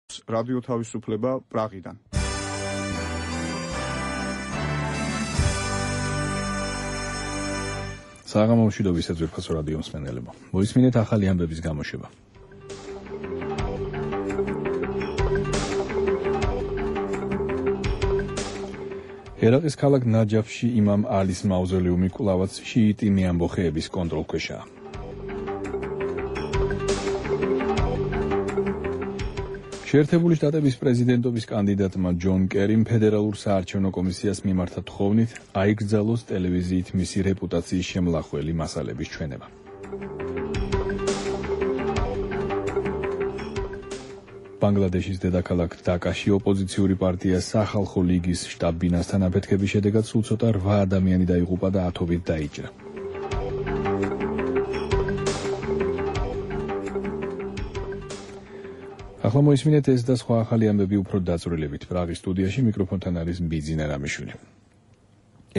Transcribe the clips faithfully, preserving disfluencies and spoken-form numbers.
რადიო თავისუფლება პრაღიდან. საღამომშვიდობის ეძვირფასო რადიო მსმენელებო. მოისმინეთ ახალი ამბების გამოშვება. ერაყის ქალაქ ნაჯაფში იმამ ალის მავზოლეუმი კვლავაც შიიტი მეამბოხეების კონტროლქვეშაა. შეერთებული შტატების პრეზიდენტობის კანდიდატმა ჯონ კერიმ ფედერალურ საარჩევნო კომისიას მიმართა თხოვნით აიგრძალოს ტელევიზიით მისი რეპუტაციის შემლახველი მასალების ჩვენება. ბანგლადეშის დედაქალაქ დაკაში ოპოზიციური პარტია სახალხო ლიგის შტაბ-ბინასთან აფეთქების შედეგად სულ ცოტა რვა ადამიანი დაიღუპა და ათობით დაიჭრა. ახლა მოისმინეთ ეს და სხვა ახალი ამბები უფრო დაწვრილებით. პრაღის სტუდიაში მიკროფონთან არის ბიძინა რამიშვილი.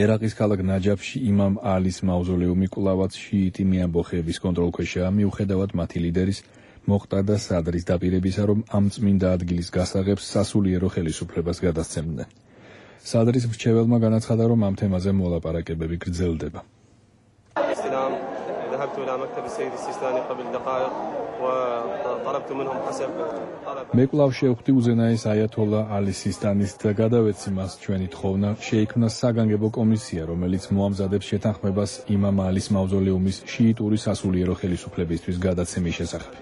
ერაყის ქალაქ ნაჯაფში იმამ ალის მავზოლეუმი კვლავაც შიიტი მეამბოხეების კონტროლქვეშაა, მიუხედავად მათი ლიდერის მოყტადა სადრის დაპირებისა, რომ ამ წმინდა ადგილის გასაღებს სასულიერო ხელისუფლებას გადასცემდნენ. სადრის მრჩეველმა განაცხადა, რომ ამ თემაზე მოლაპარაკებები გრძელდება. მე კვლავ შევხვდი უზენაეს აიათოლა ალი სისტანის და გადავეცი მას ჩვენი თხოვნა, შეიქმნა საგანგებო კომისია, რომელიც მოამზადებს შეთანხმებას იმამ ალის მავზოლეუმის შიიტური სასულიერო ხელისუფლებისთვის გადაცემის შესახებ.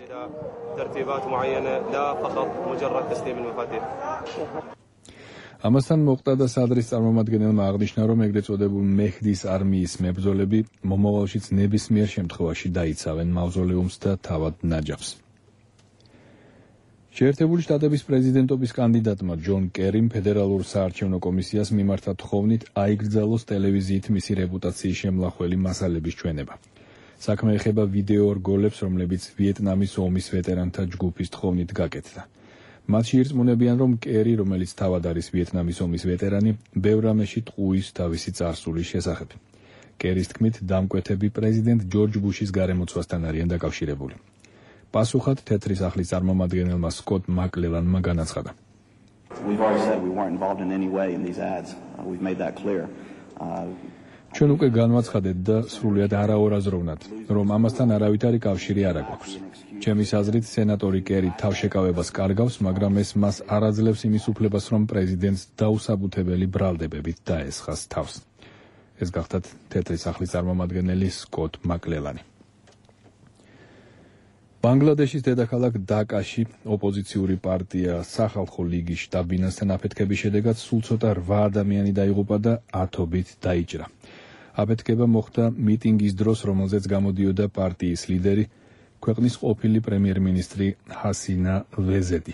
ამასთან მოყტადა სადრის წარმომადგენელმა აღნიშნა, რომ ეგრეთ წოდებულ მეჰდის არმიის მებრძოლები მომავალშიც ნებისმიერ შემთხვევაში დაიცავენ მავზოლეუმს და თავად ნაჯაფს. შეერთებული შტატების პრეზიდენტობის კანდიდატმა ჯონ კერიმ ფედერალურ საარჩევნო კომისიას მიმართა თხოვნით აიგრძალოს ტელევიზიით მისი რეპუტაციის შემლახველი მასალების ჩვენება. საქმე ეხება ვიდეო რგოლებს, რომლებიც ვიეტნამის ომის ვეტერანთა ჯგუფის თხოვნით გაკეთდა. მათში ირწმუნებიან, რომ კერი, რომელიც თავად არის ვიეტნამის ომის ვეტერანი, ბევრ რამეში ტყუის თავისი წარსულის შესახებ. კერის თქმით, დამკვეთები პრეზიდენტ ჯორჯ ბუშის გარემოცვასთან არიან დაკავშირებული. პასუხად თეთრი სახლის წარმომადგენელმა სკოტ მაკლელანმა განაცხადა. ჩვენ უკვე განვაცხადეთ და სრულიად არაორაზროვნად, რომ ამასთან არავითარი კავშირი არ აქვს. ჩემის აზრით, სენატორი კერი თავშეკავებას კარგავს, მაგრამ ეს მას არ აძლევს იმის უფლებას, რომ პრეზიდენტს დაუსაბუთებელი ბრალდებებით დაესხას თავს. ეს გახდათ თეთრი სახლის წარმომადგენელი სკოტ მაკლელანი. ბანგლადეშის დედაქალაქ დაკაში ოპოზიციური პარტია სახალხო ლიგის შტაბ-ბინასთან აფეთქების შედეგად სულ ცოტა რვა ადამიანი დაიღუპა და ათობით დაიჭრა. აფეთქება მოხდა მიტინგის დროს, რომელზეც გამოდიოდა პარტიის ლიდერი, ქვეყნის ყოფილი პრემიერ-მინისტრი ჰასინა ვეზედი.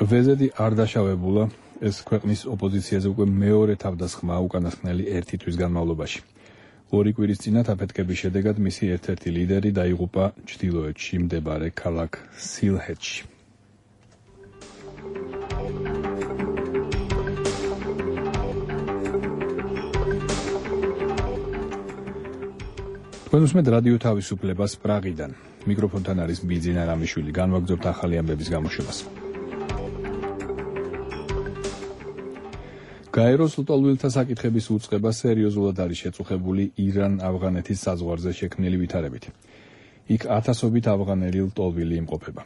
ვეზედი არ დაშავებულა, ეს ქვეყნის ოპოზიციაზე უკვე მეორე თავდასხმაა უკანასკნელი ერთი თვის განმავლობაში. ორი კვირის წინათ აფეთქების შედეგად მისი ერთ-ერთი ლიდერი დაიღუპა ჩრდილოეთში მდებარე ქალაქ სილჰეტში. თქვენ უსმენთ რადიო თავისუფლებას პრაღიდან. მიკროფონთან არის ბიძინა რამიშვილი. განვაგრძობთ ახალი ამბების გამოშვებას. გაეროს ლტოლვილთა საკითხების უწყება სერიოზულად არის შეწუხებული ირან-ავღანეთის საზღვარზე შექმნილი ვითარებით. იქ ათასობით ავღანელი ლტოლვილი იმყოფება.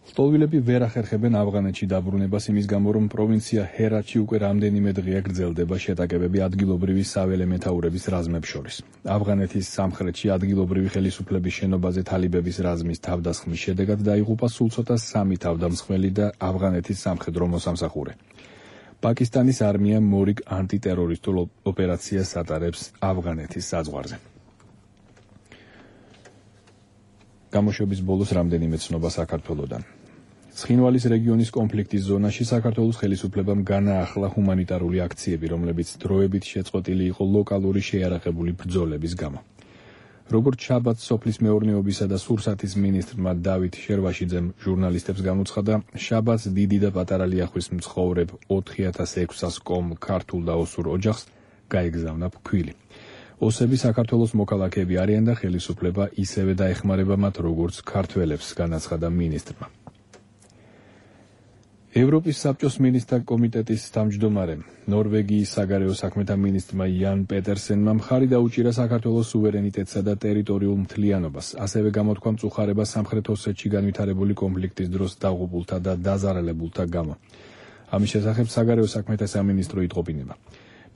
ლტოლვილები ვერ ახერხებენ ავღანეთში დაბრუნებას იმის გამო, რომ პროვინცია ჰერათში უკვე რამდენიმე დღეა გრძელდება შეტაკებები ადგილობრივი საველე მეთაურების რაზმებს შორის. ავღანეთის სამხრეთში ადგილობრივი ხელისუფლების შენობაზე თალიბების რაზმის თავდასხმის შედეგად დაიღუპა სულ ცოტა სამი თავდამსხმელი და ავღანეთის სამხედრო მოსამსახურე. პაკისტანის არმია მორიგ ანტიტერორისტულ ოპერაციას ატარებს ავღანეთის საზღვარზე. გამოშვების ბოლოს რამდენიმე ცნობა საქართველოდან. ცხინვალის რეგიონის კონფლიქტის ზონაში საქართველოს ხელისუფლებამ განაახლა ჰუმანიტარული აქციები, რომლებიც დროებით შეწყვეტილი იყო ლოკალური შეიარაღებული ბრძოლების გამო. როგორც შაბათს სოფლის მეურნეობისა და სურსათის მინისტრმა დავით შერვაშიძემ ჟურნალისტებს გამოცხადა, შაბათს დიდი და პატარა ლიახვის მცხოვრებ ოთხი ათას ექვსას კომ ქართულ და ოსურ ოჯახს გაეგზავნა ფქვილი. ოსები საქართველოს მოქალაქეები არიან და ხელისუფლება ისევე დაეხმარება მათ, როგორც ქართველებს, განაცხადა მინისტრმა. ევროპის საბჭოს მინისტრთა კომიტეტის თავმჯდომარემ, ნორვეგიის საგარეო საქმეთა მინისტრმა იან პეტერსენმა მხარი დაუჭირა საქართველოს სუვერენიტეტსა და ტერიტორიულ მთლიანობას, ასევე გამოთქვა მწუხარება სამხრეთ ოსეთში განვითარებული კონფლიქტის დროს დაღუპულთა და დაზარალებულთა გამო. ამის შესახებ საგარეო საქმეთა სამინისტრო იტყობინება.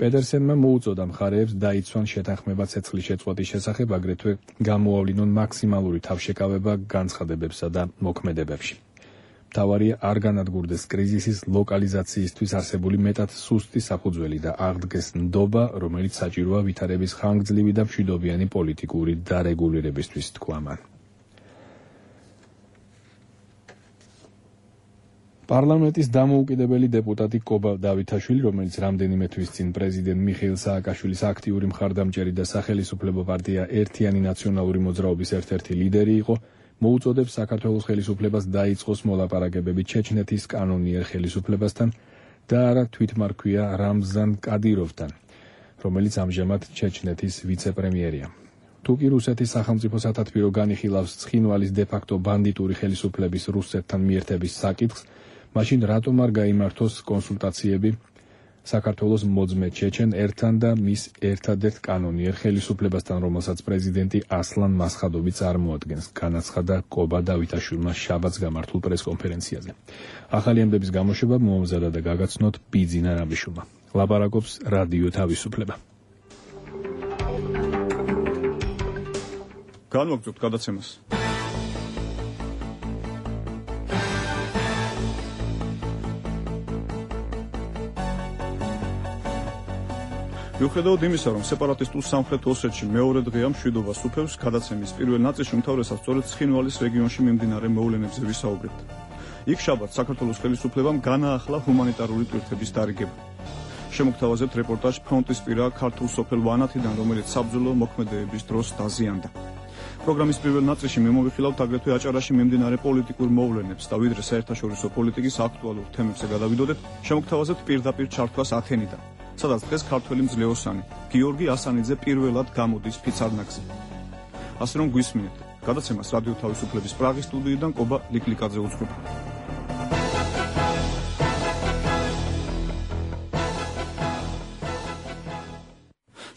პეტერსენმა მოუწოდა მხარეებს დაიცვან შეთანხმება ცეცხლის შეწყვეტის შესახებ, აგრეთვე გამოავლინონ მაქსიმალური თავშეკავება განცხადებებსა და მოქმედებებში. მთავარია არ განადგურდეს კრიზისის ლოკალიზაციისთვის არსებული მეტად სუსტი საფუძველი და აღდგეს ნდობა, რომელიც საჭიროა ვითარების ხანგრძლივი და მშვიდობიანი პოლიტიკური დარეგულირებისთვის, თქვა მან. პარლამენტის დამოუკიდებელი დეპუტატი კობა დავითაშვილი, რომელიც რამდენიმე თვის წინ პრეზიდენტ მიხეილ სააკაშვილის აქტიური მხარდამჭერი და სახელისუფლებო პარტია ერთიანი ნაციონალური მოძრაობის ერთ-ერთი ლიდერი იყო, მოუწოდებს საქართველოს ხელისუფლებას დაიწყოს მოლაპარაკებები ჩეჩნეთის კანონიერ ხელისუფლებასთან და არა თვითმარქვია რამზან კადიროვთან, რომელიც ამჟამად ჩეჩნეთის ვიცე-პრემიერია. თუკი რუსეთის სახელმწიფო სათათბირო განიხილავს ცხინვალის დე-ფაქტო ბანდიტური ხელისუფლების რუსეთთან მიერთების საკითხს, მაშინ რატომ არ გაიმართოს კონსულტაციები საქართველოს მოძმე ჩეჩენ ერთან და მის ერთადერთ კანონიერ ხელისუფლებასთან, რომელსაც პრეზიდენტი ასლან მასხადოვი წარმოადგენს, განაცხადა კობა დავითაშვილმა შაბათს გამართულ პრესკონფერენციაზე. ახალი ამბების გამოშვება მოამზადა და გაგაცნოთ ბიძინა რამიშვილმა. ლაპარაკობს რადიო თავისუფლება. განვაგრძობთ გადაცემას. მიუხედავად იმისა, რომ სეპარატისტულ სამხრეთ ოსეთში მეორე დღეა მშვიდობა სუფევს, გადაცემის პირველ ნაწილში უმთავრესად სწორედ ცხინვალის რეგიონში მიმდინარე მოვლენებზე ვისაუბრებთ. იქ შაბათს საქართველოს ხელისუფლებამ განაახლა ჰუმანიტარული ტვირთების დარიგება. შემოგთავაზებთ რეპორტაჟ ფრონტისპირა ქართულ სოფელ ვანათიდან, რომელიც საბრძოლო მოქმედებების დროს დაზიანდა. პროგრამის პირველ ნაწილში მიმოვიხილავთ აგრეთვე აჭარაში მიმდინარე პოლიტიკურ მოვლენებს და ვიდრე საერთაშორისო პოლიტიკის აქტუალურ თემებზე გადავიდოდეთ, შემოგთავაზებთ პირდაპირ ჩართვას ათენიდან, სადაც დღეს ქართველი მძლეოსანი გიორგი ასანიძე პირველად გამოდის ფიცარნაგზე. ასე რომ გვისმინეთ, გადაცემას რადიო თავისუფლების პრაღის სტუდიიდან კობა ლიკლიკაძე უძღვება.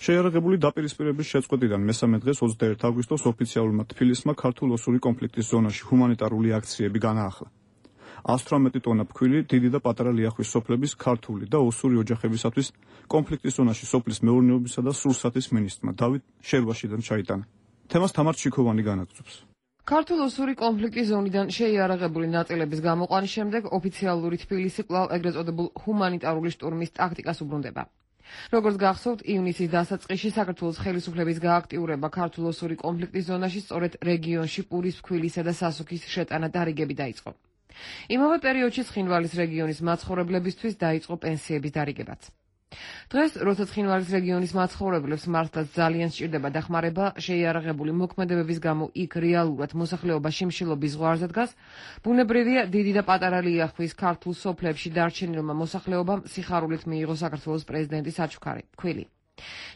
შეიარაღებული დაპირისპირების შეწყვეტიდან მესამე დღეს ოცდაერთი აგვისტოს ოფიციალურმა თბილისმა ქართულ-ოსური კონფლიქტის ზონაში ჰუმანიტარული აქციები განაახლა. ას თვრამეტი ტონა ფქვილი დიდი და პატარა ლიახვის სოფლების ქართული და ოსური ოჯახებისათვის კონფლიქტის ზონაში სოფლის მეურნეობისა და სურსათის მინისტრმა დავით შერვაშიძემ ჩაიტანა. თემას თამარ ჩიქოვანი განაგრძობს. ქართულ-ოსური კონფლიქტის ზონიდან შეიარაღებული ნაწილების გამოყვანის შემდეგ ოფიციალური თბილისი კვლავ ეგრეთ წოდებულ ჰუმანიტარული შტურმის ტაქტიკას უბრუნდება. როგორც გახსოვთ, ივნისის დასაწყისში საქართველოს ხელისუფლების გააქტიურება ქართულ-ოსური კონფლიქტის ზონაში სწორედ რეგიონში პურის, ფქვილისა და სასუქის შეტანა დარიგები დაიწყო. იმავე პერიოდში ცხინვალის რეგიონის მაცხოვრებლებისთვის დაიწყო პენსიების დარიგებაც. დღეს, როცა ცხინვალის რეგიონის მაცხოვრებლებს მართლაც ძალიან სჭირდება დახმარება, შეიარაღებული მოქმედებების გამო იქ რეალურად მოსახლეობა შიმშილობის ზღვარზე დგას, ბუნებრივია დიდი და პატარა ლიახვის ქართულ სოფლებში დარჩენილმა მოსახლეობამ სიხარულით მიიღო საქართველოს პრეზიდენტის საჩუქარი, ფქვილი.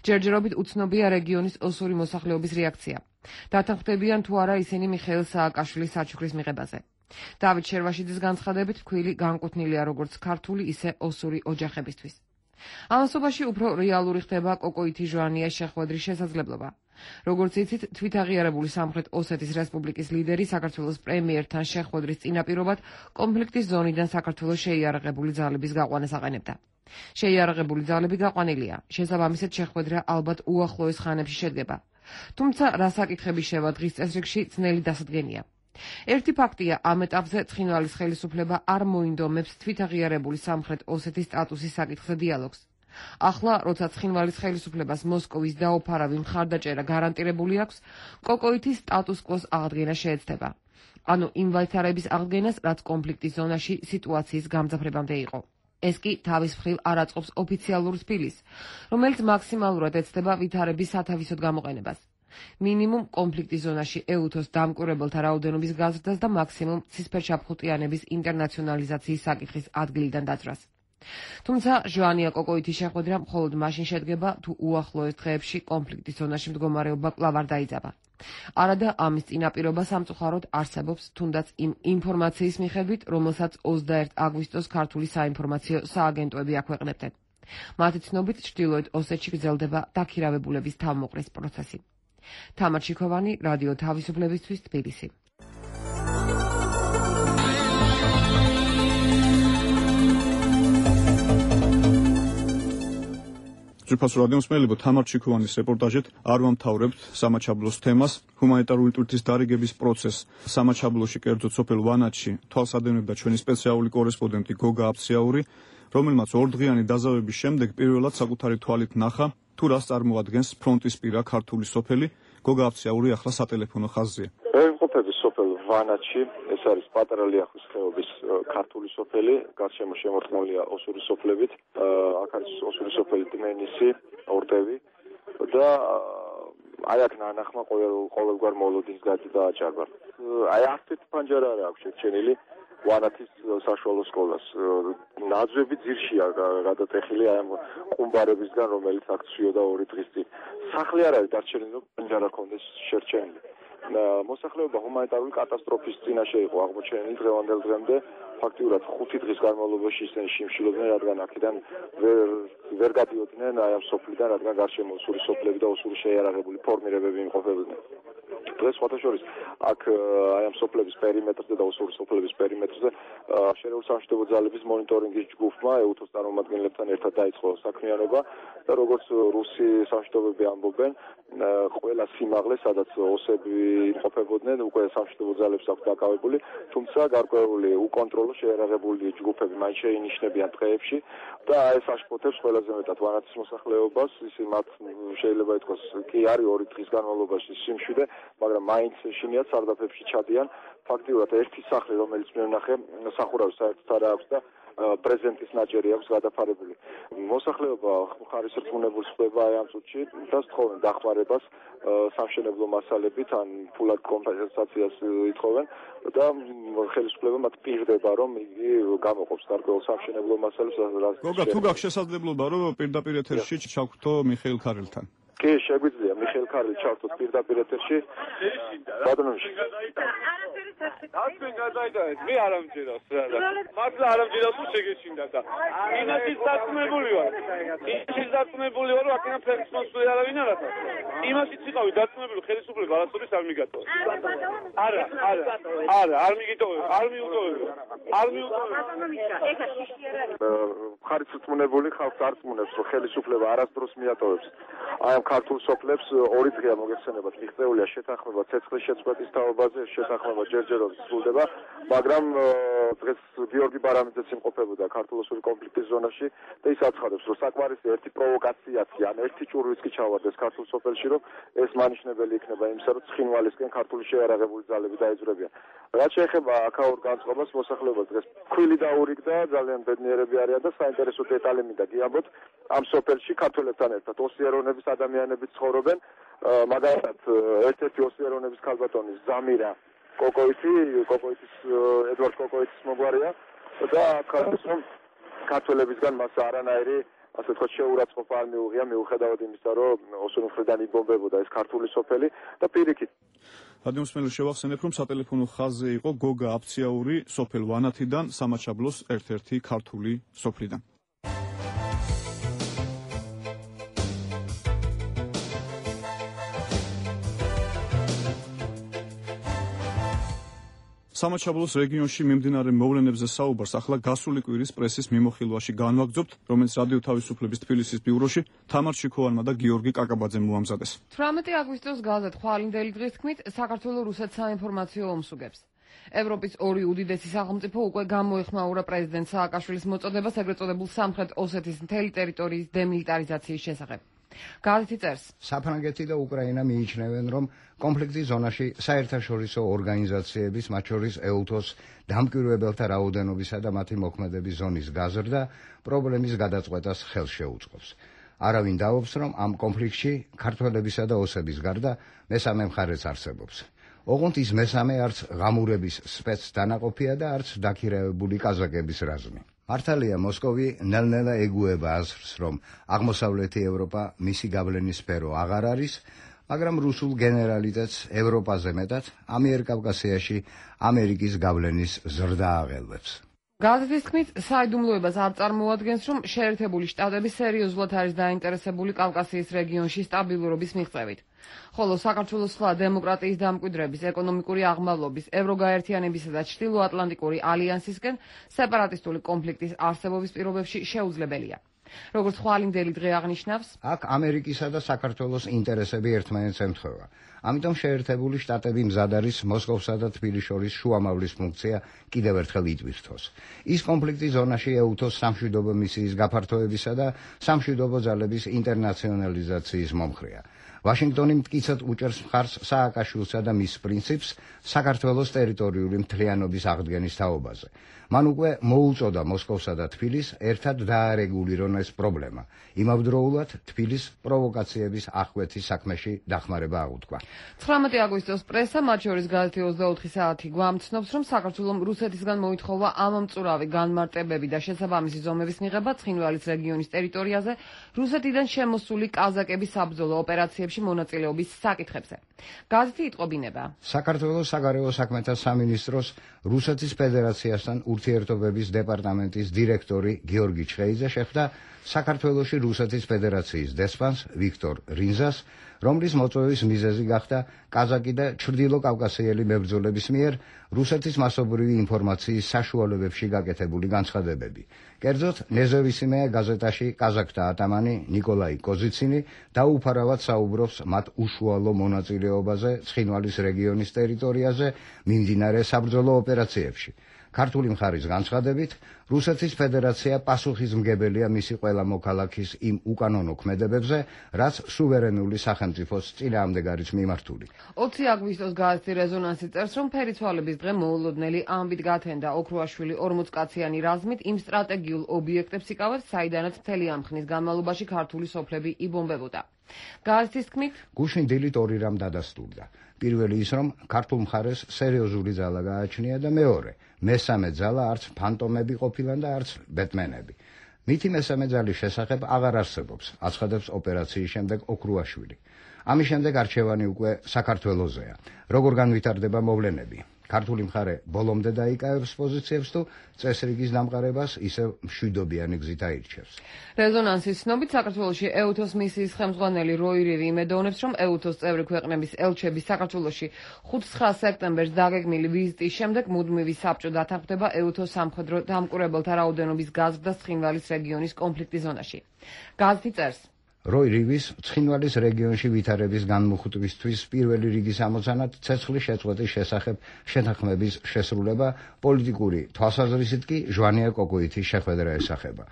ჯერჯერობით უცნობია რეგიონის ოსური მოსახლეობის რეაქცია. დათანხმდებიან თუ არა ისინი მიხეილ სააკაშვილის საჩუქრის მიღებაზე. დავით შერვაშიძის განცხადებით, ფქვილი განკუთვნილია როგორც ქართული, ისე ოსური ოჯახებისთვის. ამასობაში უფრო რეალური ხდება კოკოითი ჟვანიას შეხვედრის შესაძლებლობა. როგორც იცით, თვითაღიარებული სამხრეთ ოსეთის რესპუბლიკის ლიდერი საქართველოს პრემიერთან შეხვედრის წინაპირობად კონფლიქტის ზონიდან საქართველოს შეიარაღებული ძალების გაყვანას აყენებდა. შეიარაღებული ძალები გაყვანილია, შესაბამისად შეხვედრა ალბათ უახლოეს ხანებში შედგება. თუმცა რა საკითხები შევა დღის წესრიგში, ძნელი დასადგენია. ერთი ფაქტია, ამ ეტაპზე ცხინვალის ხელისუფლება არ მოინდომებს თვითაღიარებული სამხრეთ ოსეთის სტატუსის საკითხზე დიალოგს. ახლა, როცა ცხინვალის ხელისუფლებას მოსკოვის დაუფარავი მხარდაჭერა გარანტირებული აქვს, კოკოითის სტატუს კვოს აღდგენა შეეცდება. ანუ იმ ვითარების აღდგენას, რაც კონფლიქტის ზონაში სიტუაციის გამძაფრებამდე იყო. ეს კი თავის მხრივ არ აწყობს ოფიციალურ თბილისს, რომელიც მაქსიმალურად ეცდება ვითარების სათავისოდ გამოყენებას. მინიმუმ კონფლიქტის ზონაში ეუთოს დამკვირვებელთა რაოდენობის გაზრდას და მაქსიმუმ ცისფერჩაფხუტიანების ინტერნაციონალიზაციის საკითხის ადგილიდან დაძრას. თუმცა ჟოანია კოკოითის შეხვედრა მხოლოდ მაშინ შედგება, თუ უახლოეს დღეებში კონფლიქტის ზონაში მდგომარეობა კვლავ არ დაიძაბა. არადა ამის წინაპირობა სამწუხაროდ არსებობს თუნდაც იმ ინფორმაციის მიხედვით, რომელსაც ოცდაერთი აგვისტოს ქართული საინფორმაციო სააგენტოები აქვეყნებდნენ. მათი ცნობით, ჩრდილოეთ ოსეთში გრძელდება დაქირავებულების თავმოყრის პროცესი. თამარ ჩიქოვანი, რადიო თავისუფლებისთვის, თბილისი. ძვირფასო რადიომსმენელებო, თამარ ჩიქოვანის რეპორტაჟით არ ვამთავრებთ სამაჩაბლოს თემას. ჰუმანიტარული ტვირთის დარიგების პროცესს სამაჩაბლოში, კერძოდ სოფელ ვანაჩში, თვალსადევნებდა ჩვენი სპეციალური კორესპონდენტი გოგა აფციაური, რომელმაც ორდღიანი დაზავების შემდეგ პირველად საკუთარი თვალით ნახა, თუ რას წარმოადგენს ფრონტის პირა ქართული სოფელი. გოგა აფციაური ახლა სატელეფონო ხაზზეა. ვიმყოფები სოფელ ვანაჩში, ეს არის პატარა ლიახვის ხეობის ქართული სოფელი, გარშემო შემორტყმულია ოსური სოფლებით, აქ არის ოსური სოფელი დმენისი, ორდევი და აი აქ ნანახმა ყოველგვარ მოლოდინს გადააჭარბა. აი ასეთ პანჯარა აქვს შეჩენილი ვანათის საშუალო სკოლას. ნაძვები ძირშია გადატეხილი აი ამ ყუმბარებისგან, რომელიც აქ ცვიოდა ორი დღის წინ. სახლი არ არის დარჩენილი, რომ პანჯარა ქონდეს შერჩენილი. მოსახლეობა ჰუმანიტარული კატასტროფის წინაშე იყო აღმოჩენილი დღევანდელ დღემდე. ფაქტიურად ხუთი დღის განმავლობაში ისინი შიმშილობდნენ, რადგან აქედან ვერ ვერ გადიოდნენ აი ამ სოფლიდან, რადგან გარშემო ოსური სოფლები და ოსური შეიარაღებული ფორმირებები იმყოფებოდნენ. დღეს სხვათაშორის აქ აი ამ სოფლების პერიმეტრზე და ოსური სოფლების პერიმეტრზე შერეული სამშვიდობო ძალების მონიტორინგის ჯგუფმა ეუთოს წარმომადგენლებთან ერთად დაიწყო საქმიანობა და როგორც რუსი სამშვიდობოები ამბობენ, ყველა სიმაღლე, სადაც ოსები იმყოფებოდნენ, უკვე სამშვიდობო ძალებს აქვს დაკავებული, თუმცა გარკვეული უკონტროლო შეიარაღებული ჯგუფები მაინც შეინიშნებიან დღეებში და ეს აშფოთებს ყველაზე მეტად ვანათის მოსახლეობას, ის მათ შეიძლება ითქვას კი არის ორი დღის განმავლობაში სიმშვიდე, მაგრამ მაინც შინიათ სარდაფებში ჩადიან. ფაქტიურად ერთი სახლი, რომელიც მე ვნახე, სახურავი საერთოდ არ აქვს და პრეზენტის ნაჭერი აქვს გადაფარებული. მოსახლეობა ხარის რწმუნებულს ხდება აი ამ წუთში და სთხოვენ დახმარებას სამშენებლო მასალებით, ან ფულად კომპენსაციას ითხოვენ და ხელისუფლება მათ პირდება, რომ იგი გამოყოფს გარკვეულ სამშენებლო მასალებს. გოგა, თუ გაქვს შესაძლებლობა, რომ პირდაპირ ეთერში ჩავხვდო მიხეილ ქარელთან? კი, შეგვიძლია მიხეილ ქარელი ჩავთოთ პირდაპირ ეთერში. ბატონოში. Aslında gazaydı. Bir aram cezası sırada. Makla aram cezası çekişinde de. İna siz zatmı buluyor. Siz zatmı buluyor. Akına performans suya vinara. İma siz çıkıyor. Zatmı buluyor. Xeli suplu balasuri salmi gato. Ara, ara. Ara, armi gito. Armi uto. Armi uto. ხარიც რწმუნებული ხალხს არ რწმუნებს, რომ ხელისუფლება არასდროს მიატოვებს აი ამ ქართულ სოფლებს. ორი დღეა მოგეხსენებათ, მიღწეულია შეთანხმება ცეცხლის შეწყვეტის თაობაზე, შეთანხმება ჯერჯერობით სრულდება, მაგრამ დღეს გიორგი ბარამიძეც იმყოფებოდა ქართულ-ოსური კონფლიქტის ზონაში და ის აცხადებს, რომ საკმარისი ერთი პროვოკაციაც კი, ან ერთი ჭურვიც კი ჩავარდეს ქართულ სოფელში, რომ ეს მანიშნებელი იქნება იმისა, რომ ცხინვალისკენ ქართული შეიარაღებული ძალები დაეძვრებიან. რაც შეეხება აქაურ განწყობას, მოსახლეობა დღეს ქვილი დაურიგდა, ძალიან ბედნიერები არიან და საინტერესო დეტალი მინდა გიამბოთ, ამ სოფელში ქართველებთან ერთად ოსიერონების ადამიანები ცხოვრობენ, მაგალითად ერთ-ერთი ოსიერონების ქალბატონი ზამირა კოკოიტი, კოკოიტის ედვარდ კოკოიტის მოგვარია და ქართულ ქართველებისგან მას არანაირი ასე თქვა შეურაცხყოფა არ მიუღია, მიუხედავად იმისა, რომ ოსური მხრიდან იბომბებოდა ეს ქართული სოფელი და პირიქით. რადიომსმენელს შევახსენებ, რომ სატელეფონო ხაზზე იყო გოგა აფციაური სოფელ ვანათიდან, სამაჩაბლოს ერთ-ერთი ქართული სოფლიდან. სამაჩაბლოს რეგიონში მიმდინარე მოვლენებზე საუბარს ახლა გასული კვირის პრესის მიმოხილვაში განვაგრძობთ, რომელიც რადიო თავისუფლების თბილისის ბიუროში თამარ ჩიქოვანმა და გიორგი კაკაბაძემ მოამზადეს. თვრამეტი აგვისტოს გაზეთ ხვალინდელი დღის თქმით, საქართველოს რუსეთს საინფორმაციო ომს უგებს. ევროპის ორი უდიდესი სახელმწიფო უკვე გამოეხმაურა პრეზიდენტ სააკაშვილის მოწოდებას ეგრეთ წოდებულ სამხრეთ ოსეთის მთელი ტერიტორიის დემილიტარიზაციის შესახებ. გაზეთი წერს, საფრანგეთი და უკრაინა მიიჩნევენ, რომ კონფლიქტის ზონაში საერთაშორისო ორგანიზაციების, მათ შორის ეუთოს დამკვირვებელთა რაოდენობისა და მათი მოქმედების ზონის გაზრდა პრობლემის გადაწყვეტას ხელს შეუწყობს. არავინ დაობს, რომ ამ კონფლიქტში ქართველებისა და ოსების გარდა მესამე მხარეც არსებობს. ოღონდ ის მესამე არც ღამურების სპეცდანაყოფია და არც დაქირავებული კაზაკების რაზმი. მართალია, მოსკოვი ნელ-ნელა ეგუება აზრს, რომ აღმოსავლეთი ევროპა მისი გავლენის სფერო აღარ არის, მაგრამ რუსულ გენერალიტეტს ევროპაზე მეტად ამიერკავკასიაში ამერიკის გავლენის ზრდა აღელვებს. გაზეთის თქმით, საიდუმლოებას არ წარმოადგენს, რომ შეერთებული შტატები სერიოზულად არის დაინტერესებული კავკასიის რეგიონში სტაბილურობის მიღწევით. ხოლო საქართველოს სხვა დემოკრატიის დამკვიდრების, ეკონომიკური აღმავლობის, ევროგაერთიანებისა და ჩრდილოატლანტიკური ალიანსისკენ სეპარატისტული კონფლიქტის არსებობის პირობებში შეუძლებელია. როგორც ხვალინდელი დღე აღნიშნავს, აქ ამერიკისა და საქართველოს ინტერესები ერთმანეთს ემთხვევა. ამიტომ შეერთებული შტატები მზად არის მოსკოვსა და თბილისის შორის შუამავლის ფუნქცია კიდევ ერთხელ იტვირთოს. ის კონფლიქტის ზონაში ეუთოს სამშვიდობო მისიის გაფართოებისა და სამშვიდობო ძალების ინტერნაციონალიზაციის მომხრეა. ვაშინგტონი მტკიცედ უჭერს მხარს სააკაშვილსა და მის პრინციპს საქართველოს ტერიტორიული მთლიანობის აღდგენის თაობაზე. მან უკვე მოუწოდა მოსკოვსა და თბილისს ერთად დაარეგულირონ ეს პრობლემა. იმავდროულად თბილისს პროვოკაციების აღკვეთის საქმეში დახმარება აღუთქვა. ცხრამეტი აგვისტოს პრესა, მათ შორის გაზეთი ოცდაოთხი საათი გვამცნობს, რომ საქართველომ რუსეთისგან მოითხოვა ამომწურავი განმარტებები და შესაბამისი ზომების მიღება ცხინვალის რეგიონის ტერიტორიაზე რუსეთიდან შემოსული კაზაკების საბრძოლო ოპერაციებში მონაწილეობის საკითხებზე. გაზეთი იტყობინება. საქართველოს საგარეო საქმეთა სამინისტროს რუსეთის ფედერაციასთან ურთიერთობების დეპარტამენტის დირექტორი გიორგი ჩხეიძე შეხვდა საქართველოში რუსეთის ფედერაციის დესპანს ვიქტორ რინზას, რომლის მოწვევის მიზეზი გახდა კაზაკი და ჩრდილოკავკასიელი მებრძოლების მიერ რუსეთის მასობრივი ინფორმაციის საშუალებებში გაკეთებული განცხადებები. კერძოდ, ნეზევისიმეა გაზეტაში კაზაკთა ატამანი ნიკოლაი კოზიცინი დაუფარავად საუბრობს მათ უშუალო მონაწილეობაზე ცხინვალის რეგიონის ტერიტორიაზე მიმდინარე საბრძოლო ოპერაციებში. ქართული მხარის განცხადებით, რუსეთის ფედერაცია პასუხისმგებელია მისი ყველა მოქალაქის იმ უკანონო ქმედებებზე, რაც სუვერენული სახელმწიფოს წინააღმდეგ არის მიმართული. ოცი აგვისტოს გაზეთი რეზონანსი წერს, რომ ფერიცვალების დღე მოულოდნელი ამბით გათენდა ოქრუაშვილი ორმოცკაციანი რაზმით იმ სტრატეგიულ ობიექტებს იკავებს, საიდანაც მთელი ამ ხნის განმავლობაში ქართული სოფლები იბომბებოდა. გაზეთის თქმით, გუშინ დილით ორი რამ დადასტურდა. პირველი ის, რომ ქართულ მხარეს სერიოზული ძალა გააჩნია და მეორე, მესამე ძალა არც ფანტომები ყოფილან და არც ბეტმენები. მითი მესამე ძალის შესახებ აღარ არსებობს, აცხადებს ოპერაციის შემდეგ ოქრუაშვილი. ამის შემდეგ არჩევანი უკვე საქართველოსზეა. როგორ განვითარდება მოვლენები? ქართული მხარე ბოლომდე დაიკავებს პოზიციებს თუ წესრიგის დამყარებას ისევ მშვიდობიანი გზით აირჩევს. რეზონანსის ცნობით საქართველოში ეუთოს მისიის ხელმძღვანელი როირივი იმედოვნებს, რომ ეუთოს წევრი ქვეყნების ელჩები საქართველოში ხუთი-ცხრა სექტემბერს დაგეგმილი ვიზიტის შემდეგ მუდმივი საბჭო დათანხმდება ეუთოს სამხედრო დამკვირვებელთა რაოდენობის გაზრდას ცხინვალის რეგიონის კონფლიქტის ზონაში. გაზეთი წერს. როირივის ცხინვალის რეგიონში ვითარების განმუხტვისთვის პირველი რიგის ამოცანად ცეცხლის შეწყვეტის შესახებ შეთანხმების შესრულება პოლიტიკური თვალსაზრისით კი ჟვანია კოკოითის შეხვედრა ესახება.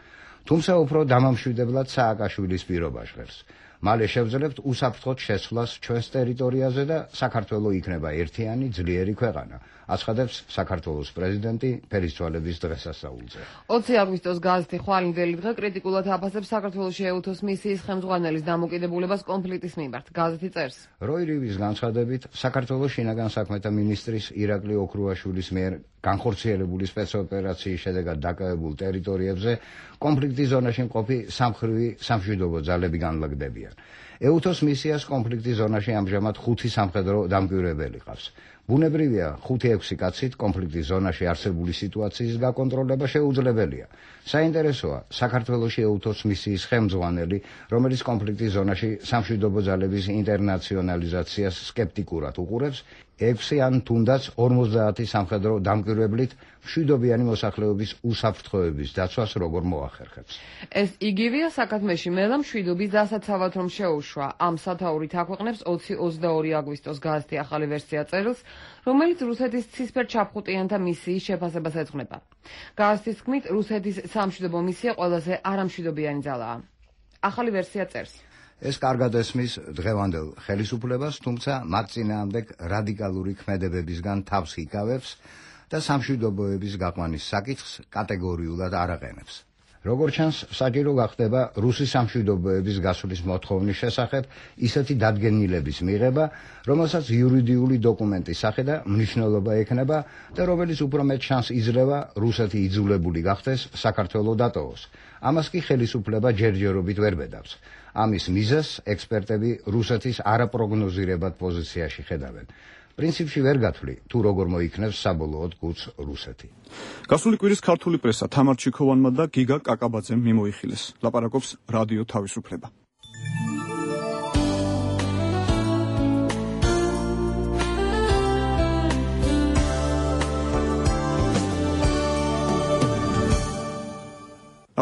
თუმცა უფრო დამამშვიდებლად სააკაშვილის პირობა ჟღერს. მალე შევძლებთ უსაფრთხოდ შესვლას ჩვენს ტერიტორიაზე და საქართველოს იქნება ერთიანი ძლიერი ქვეყანა, აცხადებს საქართველოს პრეზიდენტი ფერისცვალების დღესასწაულზე. ოცი აგვისტოს გაზეთი ხვალინდელი დღე კრიტიკულად აფასებს საქართველოში ეუთოს მისიის ხელმძღვანელის დამოკიდებულებას კონფლიქტის მიმართ. გაზეთი წერს. როირივის განცხადებით, საქართველოს შინაგან საქმეთა მინისტრის ირაკლი ოქრუაშვილის მიერ განხორციელებული სპეცოპერაციის შედეგად დაკავებულ ტერიტორიებზე კონფლიქტის ზონაში მყოფი სამხრივი სამშვიდობო ძალები განლაგდებიან. ეუთოს მისიას კონფლიქტის ზონაში ამჟამად ხუთი სამხედრო დამკვირვებელი ყავს. ბუნებრივია, ხუთი-ექვსი კაცით კონფლიქტის ზონაში არსებული სიტუაციის გაკონტროლება შეუძლებელია. საინტერესოა, საქართველოში ეუთოს მისიის ხელმძღვანელი, რომელიც კონფლიქტის ზონაში სამშვიდობო ძალების ინტერნაციონალიზაციას სკეპტიკურად უყურებს, ექვსი ან თუნდაც ორმოცდაათი სამხედრო დამკვირვებლით მშვიდობიანი მოსახლეობის უსაფრთხოების დაცვას როგორ მოახერხებს. ეს იგივეა საქმეში მელა მშვიდობის დასაცავად რომ შეუშვა. ამ სათაურით აქვეყნებს ოცი ოცდაორი აგვისტოს გაზეთი ახალი ვერსია წერილს, რომელიც რუსეთის ცისფერ ჩაფხუტიანთა მისიის შეფასებას ეძღვნება. გაზეთის თქმით, რუსეთის სამშვიდობო მისია ყველაზე არამშვიდობიანი ძალაა. ახალი ვერსია წერს. ეს კარგად ესმის დღევანდელ ხელისუფლებას, თუმცა მათ წინააღმდეგ რადიკალური ქმედებებისგან თავს იკავებს და სამშვიდობოების გაყვანის საკითხს კატეგორიულად არ აყენებს. როგორც ჩანს, საჭირო გახდება რუსი სამშვიდობოების გასვლის მოთხოვნის შესახებ ისეთი დადგენილების მიღება, რომელსაც იურიდიული დოკუმენტის სახე და მნიშვნელობა ექნება და რომელიც უფრო მეტ შანსს იძლევა რუსეთი იძულებული გახდეს საქართველოს დატოვოს. ამას კი ხელისუფლება ჯერჯერობით ვერ ბედავს. ამის მიზეზს ექსპერტები რუსეთის არაპროგნოზირებად პოზიციაში ხედავენ. პრინციპში ვერ გათვლი, თუ როგორ მოიქნევს საბოლოოდ კუც რუსეთი. გასული კვირის ქართული პრესა თამარ ჩიქოვანმა და გიგა კაკაბაძემ მიმოიხილეს. ლაპარაკობს რადიო თავისუფლება.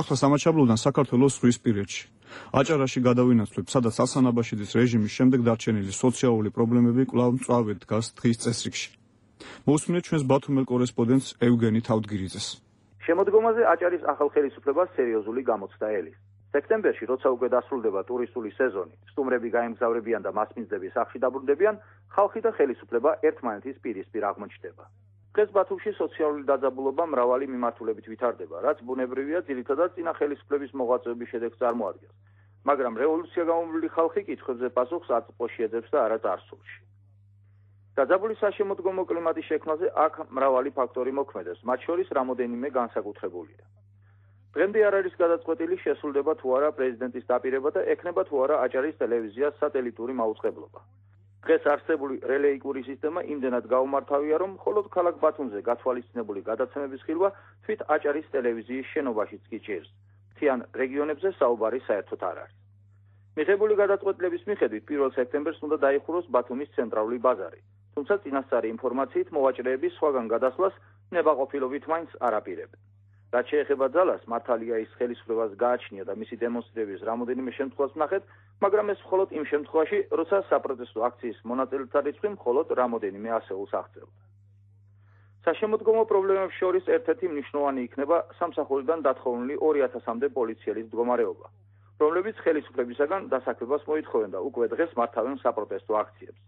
ახლა სამაჩაბლოდან საქართველოს ზღვისპირეთში. აჭარაში გადავინაცვლებ, სადაც ასანაბაშიძის რეჟიმის შემდეგ დარჩენილი სოციალური პრობლემები კვლავ მწვავედ დგას დღის წესრიგში. მოусმინეთ ჩვენს ბათუმელ კორესპონდენტს ევგენი თავდგირიძეს. შემოდგომაზე აჭარის ახალ ხელისუფლებას სერიოზული გამოცდა ელის. სექტემბერში, როცა უკვე დასრულდება ტურისტული სეზონი, სტუმრები გაემგზავრებიან და მასპინძლები სახლში დაბრუნდებიან, ხალხი და ხელისუფლება ერთმანეთის პირისპირ აღმოჩნდება. დღეს ბათუმში სოციალური დაძაბულობა მრავალი მიმართულებით ვითარდება, რაც ბუნებრივია, ძირითადად წინა ხელისუფლების მოღვაწეობის შედეგს წარმოადგენს. მაგრამ რევოლუცია გამომვლილი ხალხი კითხვებზე პასუხს აწმყოში ეძებს და არა წარსულში. დაძაბული საშემოდგომო კლიმატის შექმნაზე აქ მრავალი ფაქტორი მოქმედებს, მათ შორის რამოდენიმე განსაკუთრებულია. დღემდე არ არის გადაწყვეტილი შესრულდება თუ არა პრეზიდენტის დაპირება და ექნება თუ არა აჭარის ტელევიზიას სატელიტური მაუწყებლობა. დღეს არსებული რელეიკური სისტემა იმდენად გაუმართავია, რომ მხოლოდ ქალაქ ბათუმზე გათვალისწინებული გადაცემების ხილვა თვით აჭარის ტელევიზიის შენობაშიც კი ჭირს. მთიან რეგიონებზე საუბარი საერთოდ არ არის. მიღებული გადაწყვეტილების მიხედვით პირველ სექტემბერს უნდა დაიხუროს ბათუმის ცენტრალური ბაზარი, თუმცა წინასწარი ინფორმაციით მოვაჭრეების სხვაგან გადასვლას ნებაყოფილობით მაინც არ აპირებენ. რაც შეეხება ძალას, მართალია ის ხელისუფლებას გააჩნია და მისი დემონსტრირების რამოდენიმე შემთხვევას ვნახეთ, მაგრამ ეს მხოლოდ იმ შემთხვევაში, როცა საპროტესტო აქციის მონაწილეთა რიცხვი მხოლოდ რამოდენიმე ასეულს აღწევდა. საშემოდგომო პრობლემებს შორის ერთ-ერთი მნიშვნელოვანი იქნება სამსახურიდან დათხოვნილი ორი ათასამდე პოლიციელის მდგომარეობა, რომლებიც ხელისუფლებისაგან დასაქმებას მოითხოვენ და უკვე დღეს მართავენ საპროტესტო აქციებს.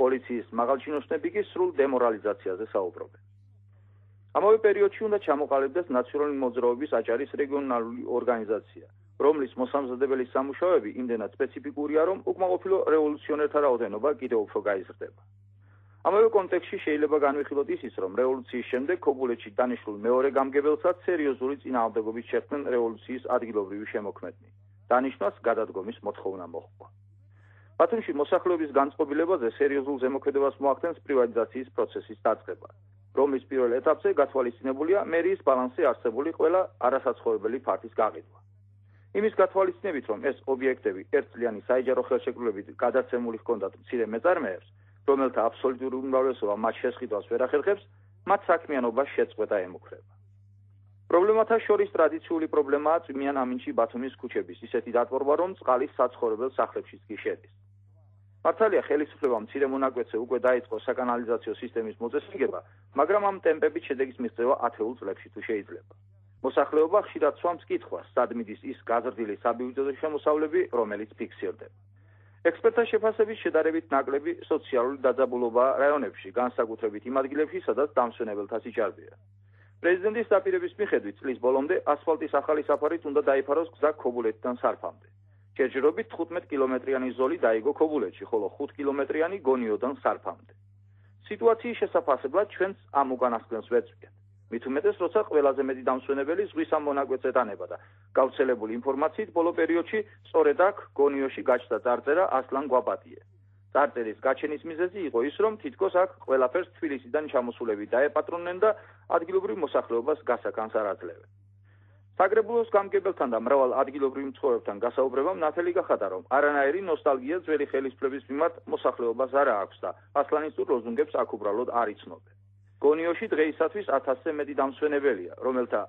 პოლიციის მაღალჩინოსნები კი სრულ დემორალიზაციაზე საუბრობენ. ამავე პერიოდში უნდა ჩამოყალიბდეს ნაციონალური მოძრაობის აჭარის რეგიონალური ორგანიზაცია, რომლის მოსამზადებელი სამუშაოები იმდენად სპეციფიკურია, რომ უკმაყოფილო რევოლუციონერთა რაოდენობა კიდევ უფრო გაიზრდება. ამავე კონტექსტში შეიძლება განვიხილოთ ისიც, რომ რევოლუციის შემდეგ ქობულეთში დანიშნულ მეორე გამგებელსაც სერიოზული წინააღმდეგობით შექმნენ რევოლუციის ადგილობრივი შემოქმედნი. დანიშნვას გადადგომის მოთხოვნა მოჰყვა. ბათუმში მოსახლეობის განწყობილებაზე სერიოზულ ზემოქმედებას მოახდენს პრივატიზაციის პროცესის დაწყება, რომლის პირველ ეტაპზე გათვალისწინებულია მერიის ბალანსზე არსებული ყველა არასაცხოვრებელი ფართის გაყიდვა. იმის გათვალისწინებით, რომ ეს ობიექტები ერთწლიანი საიჯარო ხელშეკრულებით გადაცემული ჰქონდათ მცირე მეწარმეებს, რომელთა აბსოლუტური უმრავლესობა მათ შესყიდვას ვერ ახერხებს, მათ საქმიანობას შეწყვეტა ემუქრება. პრობლემათა შორის ტრადიციული პრობლემაა წვიმიან ამინჩი ბათუმის ქუჩების ისეთი დატბორვა, რომ წყალი საცხოვრებელ სახლებშიც კი შედის. მართალია ხელისუფლებამ მცირე მონაკვეთზე უკვე დაიწყო საკანალიზაციო სისტემის მოწესრიგება, მაგრამ ამ ტემპებით შედეგის მიღწევა ათეულ წლებში თუ შეიძლება. მოსახლეობა ხშირად სვამს კითხვას, სად მიდის ის გაზრდილი საბიუჯეტო შემოსავლები, რომელიც ფიქსირდება. ექსპერტთა შეფასებით შედარებით ნაკლები სოციალური დაძაბულობაა რაიონებში, განსაკუთრებით იმ ადგილებში, სადაც დამსვენებელთა სიჭარბეა. პრეზიდენტის დაპირების მიხედვით წლის ბოლომდე ასფალტის ახალი საფარით უნდა დაიფაროს გზა ქობულეთიდან სარფამდე. ჯერჯერობით თხუთმეტ კილომეტრიანი ზოლი დაიგო ქობულეთში, ხოლო ხუთ კილომეტრიანი გონიოდან სარფამდე. სიტუაციის შესაფასებლად ჩვენც ამ უკანასკნელს ვეწვიეთ. მით უმეტეს, როცა ყველაზე მეტი დამსვენებელი ზღვის ამ მონაკვეთზე დანება და გავრცელებული ინფორმაციით ბოლო პერიოდში სწორედ აქ გონიოში გაჩნდა წარწერა ასლან გვაპატიე. წარწერის გაჩენის მიზეზი იყო ის, რომ თითქოს აქ ყველაფერს თბილისიდან ჩამოსულები დაეპატრონნენ და ადგილობრივ მოსახლეობას გასაკანს არ აძლევენ. საგრებულოს გამგებელთან და მრავალ ადგილობრივ მცხოვრებთან გასაუბრებამ ნათელი გახადა, რომ არანაირი ნოსტალგია ძველი ხელისუფლების მიმართ მოსახლეობას არ აქვს და ასლანისტურ ლოზუნგებს აქ უბრალოდ არ იცნობენ. გონიოში დღეისათვის ათასზე მეტი დამსვენებელია, რომელთა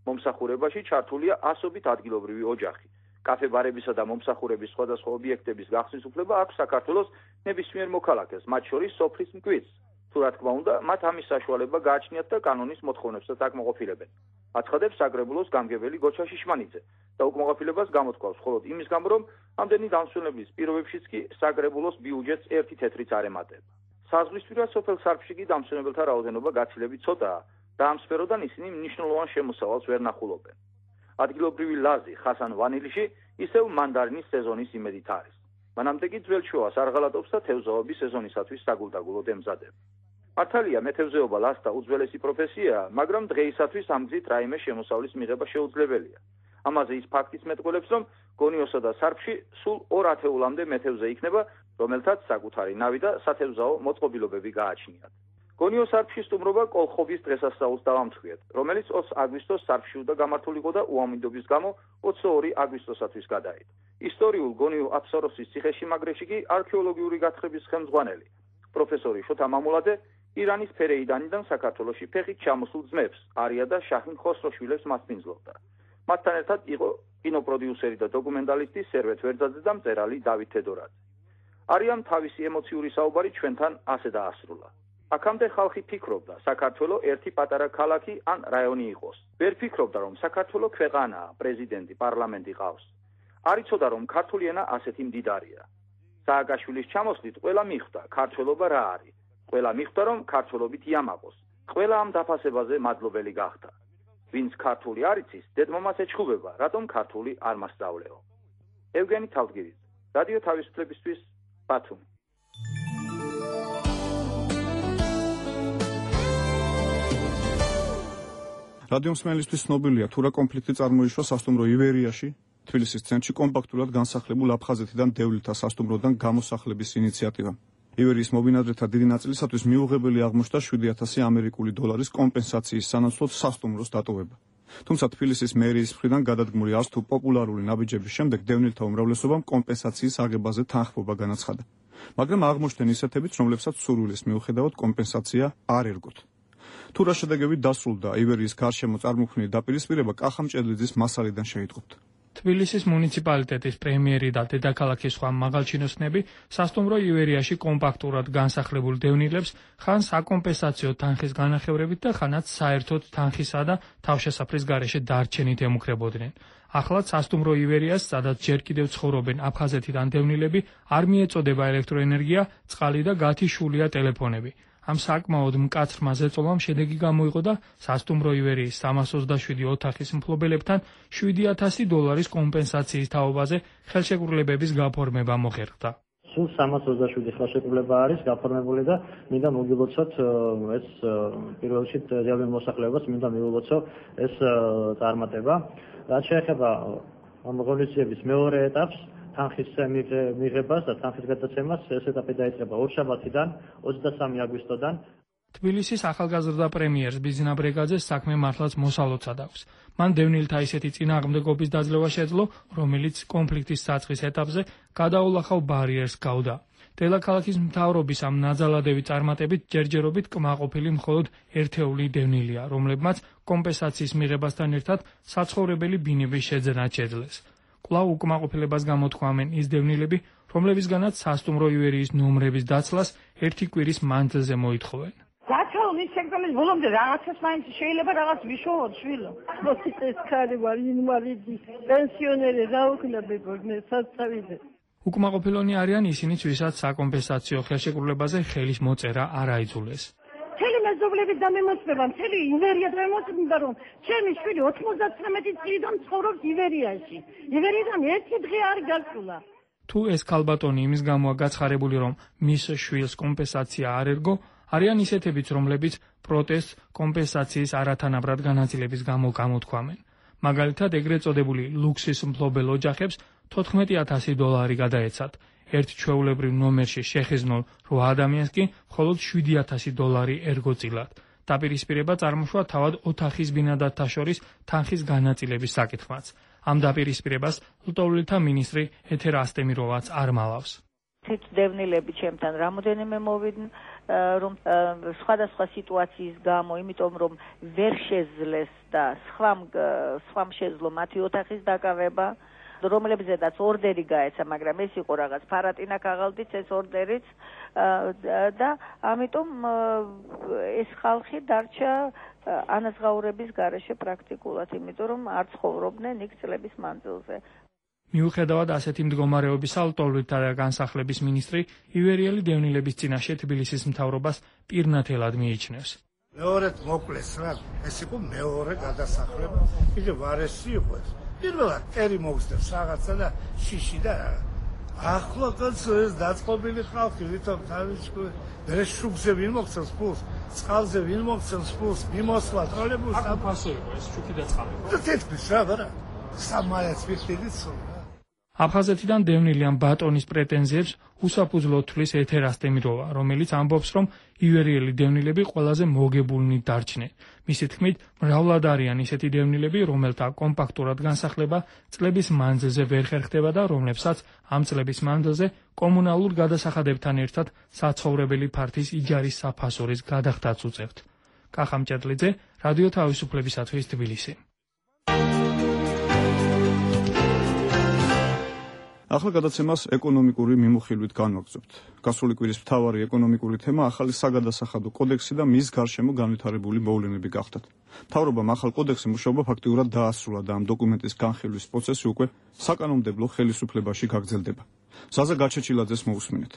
მომსახურებაში ჩართულია ასობით ადგილობრივი ოჯახი. კაფე-ბარებისა და მომსახურების სხვადასხვა ობიექტების გახსნის უფლება აქვს საქართველოს ნებისმიერ მოქალაქეს, მათ შორის სოფლის მკვიდრს. თუ რა თქმა უნდა, მათ ამის საშუალება გააჩნიათ და კანონის მოთხოვნებსაც აკმაყოფილებენ. აცხადებს საგრებულოს გამგებელი გოჩა შიშმანიძე და უკმაყოფილებას გამოთქვავს მხოლოდ იმის გამო, რომ ამდენი დამსვენებლის პირობებშიც კი საგრებულოს ბიუჯეტს ერთი თეთრიც არ ემატება. საზღვრისპირა სოფელ სარფში კი დამსვენებელთა რაოდენობა გაცილებით ცოტაა და ამ სფეროდან ისინი მნიშვნელოვან შემოსავალს ვერ ნახულობენ. ადგილობრივი ლაზი ხასან ვანილიში ისევ მანდარინის სეზონის იმედით არის. მანამდე კი ძველ შუას არ ღალატობს და თევზაობის სეზონისათვის საგულდაგულოდ ემზადება. მართალია მეთევზეობა ლაზთა უძველესი პროფესიაა, მაგრამ დღეისათვის ამ გზით რაიმე შემოსავლის მიღება შეუძლებელია. ამაზე ის ფაქტიც მეტყველებს, რომ გონიოსა და სარფში სულ ორ ათეულამდე მეთევზე იქნება, რომელთაც საკუთარი ნავი და სათევზაო მოწყობილობები გააჩნიათ. გონიოს სარფში სტუმრობა კოლხობის დღესასწაულს დავამთხვიეთ, რომელიც ოცი აგვისტოს სარფში უნდა გამართულიყო და უამინდობის გამო ოცდაორი აგვისტოსათვის გადაიდო. ისტორიულ გონიო აფსაროსის ციხესიმაგრეში კი არქეოლოგიური გათხრების ხელმძღვანელი პროფესორი შოთა მამულაძე ირანის ფერეიდანიდან საქართველოში ფეხით ჩამოსულ ძმებს არია და შაჰინ ხოსროშვილებს მასპინძლობდა. მათთან ერთად იყო კინოპროდიუსერი და დოკუმენტალისტი სერვეთ ვერძაძე და მწერალი დავით თედორაძე. არიამ თავისი ემოციური საუბარი ჩვენთან ასე დაასრულა. აქამდე ხალხი ფიქრობდა, საქართველოს ერთი პატარა ქალაქი ან რაიონი იყოს. ვერ ფიქრობდა, რომ საქართველოს ქვეყანაა, პრეზიდენტი, პარლამენტი ყავს. არ იცოდა, რომ ქართული ენა ასეთი მდიდარია. სააკაშვილის ჩამოსვლით ყველა მიხვდა, ქართველობა რა არის. ყველა მიხვდა, რომ ქართველობით იამაყოს. ყველა ამ დაფასებაზე მადლობელი გახდა. ვინც ქართული არ იცის, დედმომას ეჩხუბება, რატომ ქართული არ მასწავლეო. ევგენი თავდგირიძე, რადიო თავისუფლებისთვის, ბათუმი. რადიო მსმენელისთვის ცნობილია, თუ რა კონფლიქტი წარმოიშვა სასტუმრო ივერიაში, თბილისის ცენტრში კომპაქტურად განსახლებულ აფხაზეთიდან დევლილთა სასტუმროდან გამოსახლების ინიციატივა. ივერიის მობინადრეთა დიდი ნაწილისათვის მიუღებელი აღმოჩნდა შვიდი ათასი ამერიკული დოლარის კომპენსაციის სანაცვლოდ სასტუმროს დატოვება. თუმცა თბილისის მერიის მხრიდან გადადგმული არც თუ პოპულარული ნაბიჯების შემდეგ დევნილთა უმრავლესობამ კომპენსაციის აღებაზე თანხმობა განაცხადა. მაგრამ აღმოჩნდნენ ისეთებიც, რომლებსაც სურვილის მიუხედავად კომპენსაცია არ ერგოთ. თუ რა შედეგებით დასრულდა ივერიის გარშემო წარმოქმნილი დაპირისპირება, კახამჭედლიძის მასალიდან შეიტყობთ. თბილისის მუნიციპალიტეტის პრემიერი და დედაქალაქის სხვა მაღალჩინოსნები სასტუმრო ივერიაში კომპაქტურად განსახლებულ დევნილებს ხან საკომპენსაციო თანხის განახევრებით და ხანაც საერთოდ თანხისა და თავშესაფრის გარეშე დარჩენით ემუქრებოდნენ. ახლაც სასტუმრო ივერიას, სადაც ჯერ კიდევ ცხოვრობენ აფხაზეთიდან დევნილები, არ მიეწოდება ელექტროენერგია, წყალი და გათიშულია ტელეფონები. ამ საკმაოდ მკაცრმა ზეწოლამ შედეგი გამოიღო და სასტუმრო ივერიის სამას ოცდაშვიდი ოთახის მფლობელებთან შვიდი ათასი დოლარის კომპენსაციის თაობაზე ხელშეკრულებების გაფორმება მოხერხდა. სულ სამას ოცდაშვიდი ხელშეკრულება არის გაფორმებული და მინდა მოგილოცოთ ეს პირველ რიგში რეალურ მოსახლეობას მინდა მივილოცო ეს წარმატება. რაც შეეხება ამ ღონისძიების მეორე ეტაპს, თანხის მიღებას და თანხის გადაცემას ეს ეტაპი დაიწყება ორშაბათიდან ოცდასამი აგვისტოდან. თბილისის ახალგაზრდა პრემიერს ბიზნა ბრეგაძეს საქმე მართლაც მოსალოცად აქვს. მან დევნილთა ისეთი წინააღმდეგობის დაძლევა შეძლო, რომელიც კონფლიქტის საწყის ეტაპზე გადაულახავ ბარიერს გავდა. დედაქალაქის მთავრობის ამ ნაძალადევი წარმატებით ჯერჯერობით კმაყოფილი მხოლოდ ერთეული დევნილია, რომლებმაც კომპენსაციის მიღებასთან ერთად საცხოვრებელი ბინების შეძენაც შეძლეს. კვლავ უკმაყოფილებას გამოთქვამენ ის დევნილები, რომლებისგანაც სასტუმრო ივერიის ნომრების დაცლას ერთი კვირის მანძილზე მოითხოვენ. გაჩვენის შექმნის ბოლომდე რაღაცას მაინც შეიძლება რაღაც ვიშოვოთ შვილო. მოსიწეს ხარი ვარ ინვალიდი, პენსიონერი რა ვქნა ბებორნე საცავიდე. უკმაყოფილონი არიან ისინიც, ვისაც საკომპენსაციო ხელშეკრულებაზე ხელის მოწერა არ აიძულეს. მთელი მეზობლების დამემოწმება, მთელი ივერია დამემოწმება, რომ ჩემი შვილი ოცდათვრამეტი წლიდან ცხოვრობს ივერიაში. ივერიიდან ერთი დღე არ გასულა. თუ ეს ქალბატონი იმის გამოა გაცხარებული, რომ მის შვილს კომპენსაცია არ ერგო, არიან ისეთებიც, რომლებიც პროტესტს კომპენსაციის არათანაბრად განაწილების გამო გამოთქვამენ. მაგალითად, ეგრეთ წოდებული ლუქსის მფლობელ ოჯახებს თოთხმეტი ათასი დოლარი გადაეცათ. ერთ ჩვეულებრივ ნომერში შეხიზნულ რვა ადამიანს კი მხოლოდ შვიდი ათასი დოლარი ერგო წილად. დაპირისპირება წარმოშვა თავად ოთახის ბინადართა შორის თანხის განაწილების საკითხმაც. ამ დაპირისპირებას ლტოლვილთა მინისტრი ეთერ ასტემიროვაც არ მალავს. თვით დევნილები ჩემთან რამოდენიმე მოვიდნენ, რომ სხვადასხვა სიტუაციის გამო, იმიტომ რომ ვერ შეძლეს და სხვამ სხვამ შეძლო მათი ოთახის დაკავება, რომლებზედაც ორდერი გაეცა, მაგრამ ეს იყო რაღაც ფარატინა ქაღალდიც ეს ორდერიც და ამიტომ ეს ხალხი დარჩა ანაზღაურების გარეშე პრაქტიკულად, იმიტომ რომ არ ცხოვრობდნენ იქ წლების მანძილზე. მიუხედავად ასეთი მდგომარეობისა, ლტოლვილთა განსახლების მინისტრი ივერიელი დევნილების წინაშე თბილისის მთავრობას პირნათელად მიიჩნევს. მეორედ მოკლეს რა, ეს იყო მეორე გადასახლება. კიდევ არ ესე იყო ეს. პირველად ტერი მოგზდებს რაღაცა და შიში და რა. ახლა კაცო ეს დაწყობილი ხალხი ვითომ თავისკუ მე შუქზე ვინ მოგცემს ფულს, წყალზე ვინ მოგცემს ფულს, მიმოსვლა ტროლეიბუსს აქ ფასო იყო ეს შუქი და წყალი. და თეთრის რა ვარა. სამაიაც ვიხდიდიცო. აფხაზეთიდან დევნილი ამ ბატონის პრეტენზიებს უსაფუძვლოდ თვლის ეთერ ასტემიროვა, რომელიც ამბობს, რომ ივერიელი დევნილები ყველაზე მოგებულნი დარჩნენ. მისი თქმით, მრავლად არიან ისეთი დევნილები, რომელთა კომპაქტურად განსახლება წლების მანძილზე ვერ ხერხდება და რომლებსაც ამ წლების მანძილზე კომუნალურ გადასახადებთან ერთად საცხოვრებელი ფართის იჯარის საფასურის გადახდაც უწევთ. კახა მჭედლიძე, რადიო თავისუფლებისათვის თბილისი. ახლა გადაცემას ეკონომიკური მიმოხილვით განვაგრძობთ. გასული კვირის მთავარი ეკონომიკური თემა ახალი საგადასახადო კოდექსი და მის გარშემო განვითარებული მოვლენები გახდათ. მთავრობამ ახალ კოდექსზე მუშაობა ფაქტიურად დაასრულა და ამ დოკუმენტის განხილვის პროცესი უკვე საკანონმდებლო ხელისუფლებაში გაგრძელდება. ზაზა გაჩეჩილაძეს მოусმინეთ.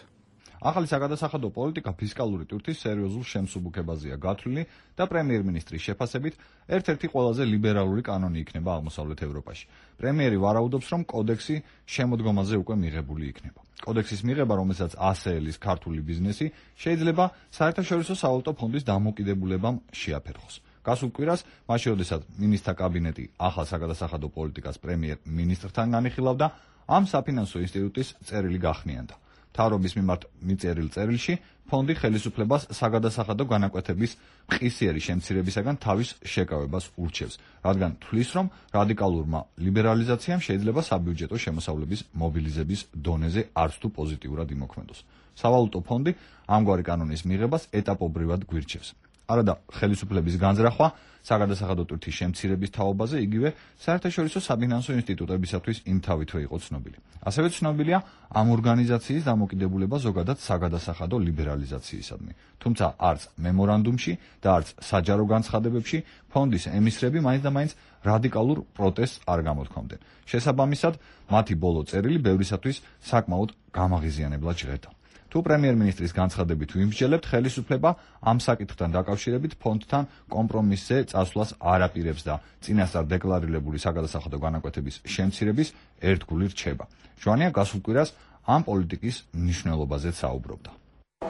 ახალი საგადასახადო პოლიტიკა ფისკალური ტვირთის სერიოზულ შემსუბუქებაზეა გათვლილი და პრემიერ-მინისტრის შეფასებით ერთ-ერთი ყველაზე ლიბერალური კანონი იქნება აღმოსავლეთ ევროპაში. პრემიერი ვარაუდობს, რომ კოდექსი შემოდგომაზე უკვე მიღებული იქნება. კოდექსის მიღება, რომელსაც ასეელის ქართული ბიზნესი შეიძლება საერთაშორისო სავალუტო ფონდის დამოკიდებულებამ შეაფერხოს. გასულ კვირას, მაშინ როდესაც მინისტრთა კაბინეტი ახალ საგადასახადო პოლიტიკას პრემიერ-მინისტრთან განიხილავდა, ამ საფინანსო ინსტიტუტის წერილი გახნიანდა. მთავრობის მიმართ მიწერილ წერილში ფონდი ხელისუფლებას საგადასახადო განაკვეთების მყისიერი შემცირებისაგან თავის შეკავებას ურჩევს, რადგან თვლის, რომ რადიკალურმა ლიბერალიზაციამ შეიძლება საბიუჯეტო შემოსავლების მობილიზების დონეზე არც თუ პოზიტიურად იმოქმედოს. სავალუტო ფონდი ამგვარი კანონის მიღებას ეტაპობრივად გვირჩევს. არადა ხელისუფლების განზრახვა საგადასახადო ტვირთის შემცირების თაობაზე იგივე საერთაშორისო საფინანსო ინსტიტუტებისათვის იმთავითვე იყო ცნობილი. ასევე ცნობილია ამ ორგანიზაციის დამოკიდებულება ზოგადად საგადასახადო ლიბერალიზაციისადმი. თუმცა არც მემორანდუმში და არც საჯარო განცხადებებში ფონდის ემისრები მაინც და მაინც რადიკალურ პროტესტს არ გამოთქვამდნენ. შესაბამისად, მათი ბოლო წერილი ბევრისათვის საკმაოდ გამაღიზიანებლად ჟღერდა. თუ პრემიერ-მინისტრის განცხადებით ვიმსჯელებთ, ხელისუფლება ამ საკითხთან დაკავშირებით ფონდთან კომპრომისზე წასვლას არ აპირებს და წინასწარ დეკლარირებული საგადასახადო განაკვეთების შემცირების ერთგული რჩება. ჟვანია გასულ კვირას ამ პოლიტიკის მნიშვნელობაზეც საუბრობდა.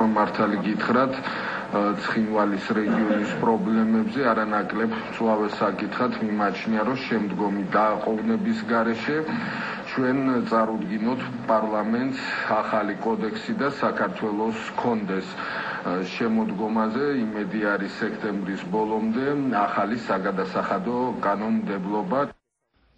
მართალი გითხრათ, ცხინვალის რეგიონის პრობლემებზე არანაკლებ მწვავე საკითხად მიმაჩნია, რომ შემდგომი დაყოვნების გარეშე ჩვენ წარუდგინოთ პარლამენტს ახალი კოდექსი და საქართველოს კონდეს შემოდგომაზე. იმედი არის სექტემბრის ბოლომდე ახალი საგადასახადო კანონმდებლობა.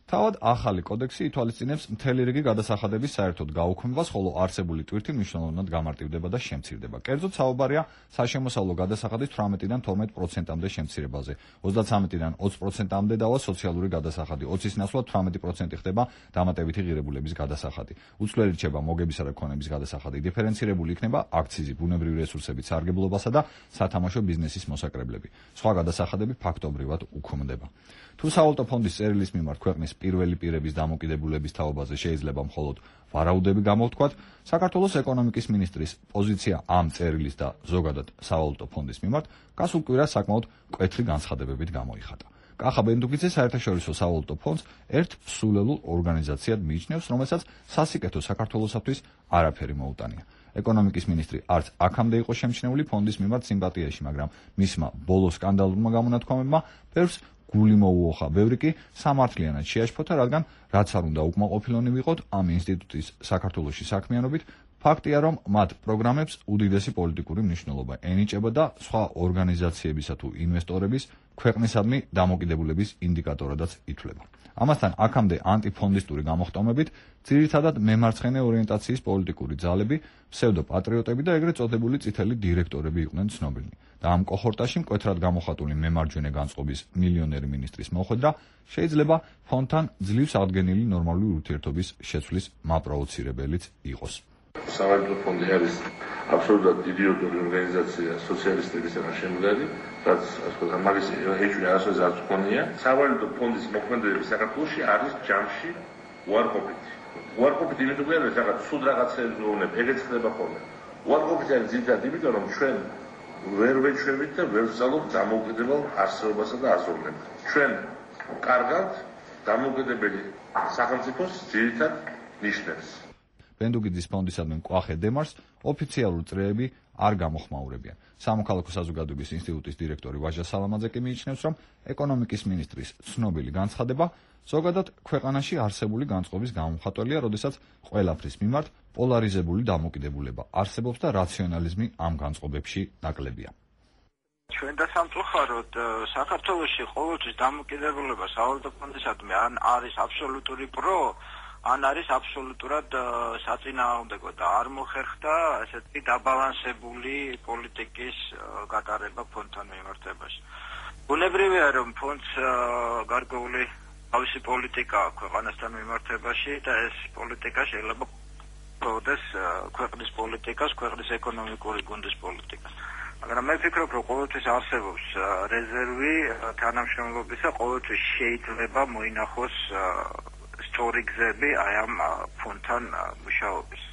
თავად ახალი კოდექსი ითვალისწინებს მთელი რიგი გადასახადების საერთოდ გაუქმებას, ხოლო არსებული ტვირთი მნიშვნელოვნად გამარტივდება და შემცირდება. კერძოდ საუბარია საშემოსავლო გადასახადის თვრამეტიდან თორმეტ პროცენტამდე შემცირებაზე. ოცდათრამეტიდან ოცი პროცენტამდე დავა სოციალური გადასახადი, ოცის ნაცვლად თვრამეტი პროცენტი ხდება დამატებითი ღირებულების გადასახადი. უცვლელი რჩება მოგებისა და ქონების გადასახადი, დიფერენცირებული იქნება აქციზი, ბუნებრივი რესურსების სარგებლობასა და სათამაშო ბიზნესის მოსაკრებლები. სხვა გადასახადები ფაქტობრივად უქმდება. თუ სავალუტო ფონდის წერილის მიმართ ქვეყნის პირველი პირების დამოკიდებულების თაობაზე შეიძლება მხოლოდ ვარაუდები გამოვთქვათ, საქართველოს ეკონომიკის მინისტრის პოზიცია ამ წერილის და ზოგადად სავალუტო ფონდის მიმართ გასულ კვირას საკმაოდ მკვეთრი განცხადებებით გამოიხატა. კახა ბენდუგიძე საერთაშორისო სავალუტო ფონდს ერთ სულელულ ორგანიზაციად მიიჩნევს, რომელსაც სასიკეთო საქართველოსათვის არაფერი მოუტანია. ეკონომიკის მინისტრი არც აქამდე იყო შემჩნეული ფონდის მიმართ სიმპათიაში, მაგრამ მისმა ბოლო სკანდალურმა გამონათქვამებმა ბევრს გული მოუოხა, ბევრი კი სამართლიანად შეაშფოთა, რადგან რაც არ უნდა უკმაყოფილონი ვიყოთ ამ ინსტიტუტის საქართველოში საქმიანობით, ფაქტია, რომ მათ პროგრამებს უდიდესი პოლიტიკური მნიშვნელობა ენიჭება და სხვა ორგანიზაციებისა თუ ინვესტორების ქვეყნისადმი დამოკიდებულების ინდიკატორადაც ითვლება. ამასთან აქამდე ანტიფონდისტური გამოხტომებით ძირითადად მემარცხენე ორიენტაციის პოლიტიკური ძალები, ფსევდოპატრიოტები და ეგრეთ წოდებული წითელი დირექტორები იყვნენ ცნობილნი. და ამ კოჰორტაში მკვეთრად გამოხატული მემარჯვენე განწყობის მილიონერი მინისტრის მოხვედრა შეიძლება ფონდთან ძლივს აღდგენილი ნორმალური ურთიერთობის შეცვლის მაპროვოცირებელიც იყოს. სავალუტო ფონდი არის აბსოლუტურად იდიოტური ორგანიზაცია, სოციალისტების შემდგარი, რაც ასე ვთქვათ, მაგის ეჭვი არასოდეს არ გქონია. სავალუტო ფონდის მოქმედებები საქართველოში არის ჯამში უარყოფითი. უარყოფითი იმიტომ არის რაღაც სულ რაღაცეებზე უნებ, ეგეც ხდება ხოლმე. უარყოფითი არის ძირითადად იმიტომ, რომ ჩვენ ვერ ვეჩვევით და ვერ ვზალობთ დამოუკიდებელ არსებობასა და აზროვნებას. ჩვენ კარგავთ დამოუკიდებელი სახელმწიფოს ძირითად ნიშნებს. ბენდუგიძის ფონდისადმი მკვახე დემარს ოფიციალური წრეები არ გამოხმაურებიან. სამოქალაქო საზოგადოების ინსტიტუტის დირექტორი ვაჟა სალამაძე კი მიიჩნევს, რომ ეკონომიკის მინისტრის ცნობილი განცხადება ზოგადად ქვეყანაში არსებული განწყობის გამომხატველია, როდესაც ყველაფრის მიმართ პოლარიზებული დამოკიდებულება არსებობს და რაციონალიზმი ამ განწყობებში ნაკლებია. ჩვენ და სამწუხაროდ საქართველოში ყოველთვის დამოკიდებულება სავალუტო ფონდისადმი ან არის აბსოლუტური პრო, ან არის აბსოლუტურად საწინააღმდეგო და არ მოხერხდა ესეთი დაბალანსებული პოლიტიკის გატარება ფონდთან მიმართებაში. ბუნებრივია, რომ ფონდს გარკვეული თავისი პოლიტიკა აქვს ქვეყანასთან მიმართებაში და ეს პოლიტიკა შეიძლება პროდეს ქვეყნის პოლიტიკას, ქვეყნის ეკონომიკური გუნდის პოლიტიკას. მაგრამ მე ვფიქრობ, რომ ყოველთვის არსებობს რეზერვი თანამშრომლობისა, ყოველთვის შეიძლება მოინახოს სწორი გზები აი ამ ფონდთან მუშაობის.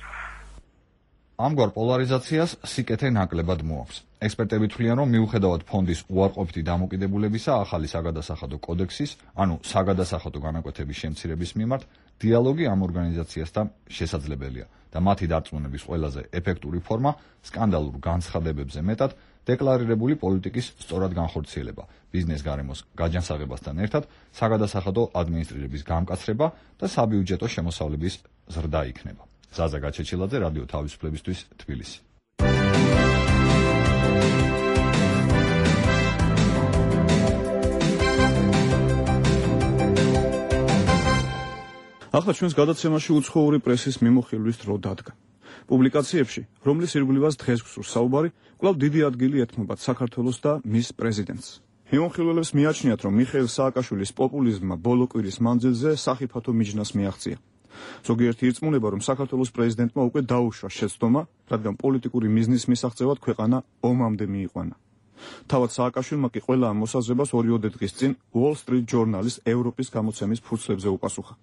ამგვარ პოლარიზაციას სიკეთე ნაკლებად მოაქვს. ექსპერტები თვლიან, რომ მიუხედავად ფონდის უარყოფითი დამოკიდებულებისა, ახალი საგადასახადო კოდექსის, ანუ საგადასახადო განაკვეთების შემცირების მიმართ, დიალოგი ამ ორგანიზაციასთან შესაძლებელია და მათი დარწმუნების ყველაზე ეფექტური ფორმა სკანდალურ განცხადებებზე მეტად დეკლარირებული პოლიტიკის სწორად განხორციელება, ბიზნეს გარემოს გაჯანსაღებასთან ერთად საგადასახადო ადმინისტრირების გამკაცრება და საბიუჯეტო შემოსავლების ზრდა იქნება. ზაზა გაჩეჩილაძე, რადიო თავისუფლებისთვის, თბილისი. ახლა ჩვენს გადაცემაში უცხოური პრესის მიმოხილვის დრო დადგა. პუბლიკაციებში, რომლის ირგვლივაც დღეს გსურს საუბარი, კვლავ დიდი ადგილი ეთმობათ საქართველოს და მის პრეზიდენტს. მიმოხილველებს მიაჩნიათ, რომ მიხეილ სააკაშვილის პოპულიზმმა ბოლო კვირის მანძილზე სახიფათო მიჯნას მიაღწია. ზოგიერთი ირწმუნება, რომ საქართველოს პრეზიდენტმა უკვე დაუშვა შეცდომა, რადგან პოლიტიკური მიზნის მისაღწევად ქვეყანა ომამდე მიიყვანა. თავად სააკაშვილმა კი ყველა ამ მოსაზრებას ორიოდე დღის წინ Wall Street Journal-ის ევროპის გამოცემის ფურცლებზე უპასუხა.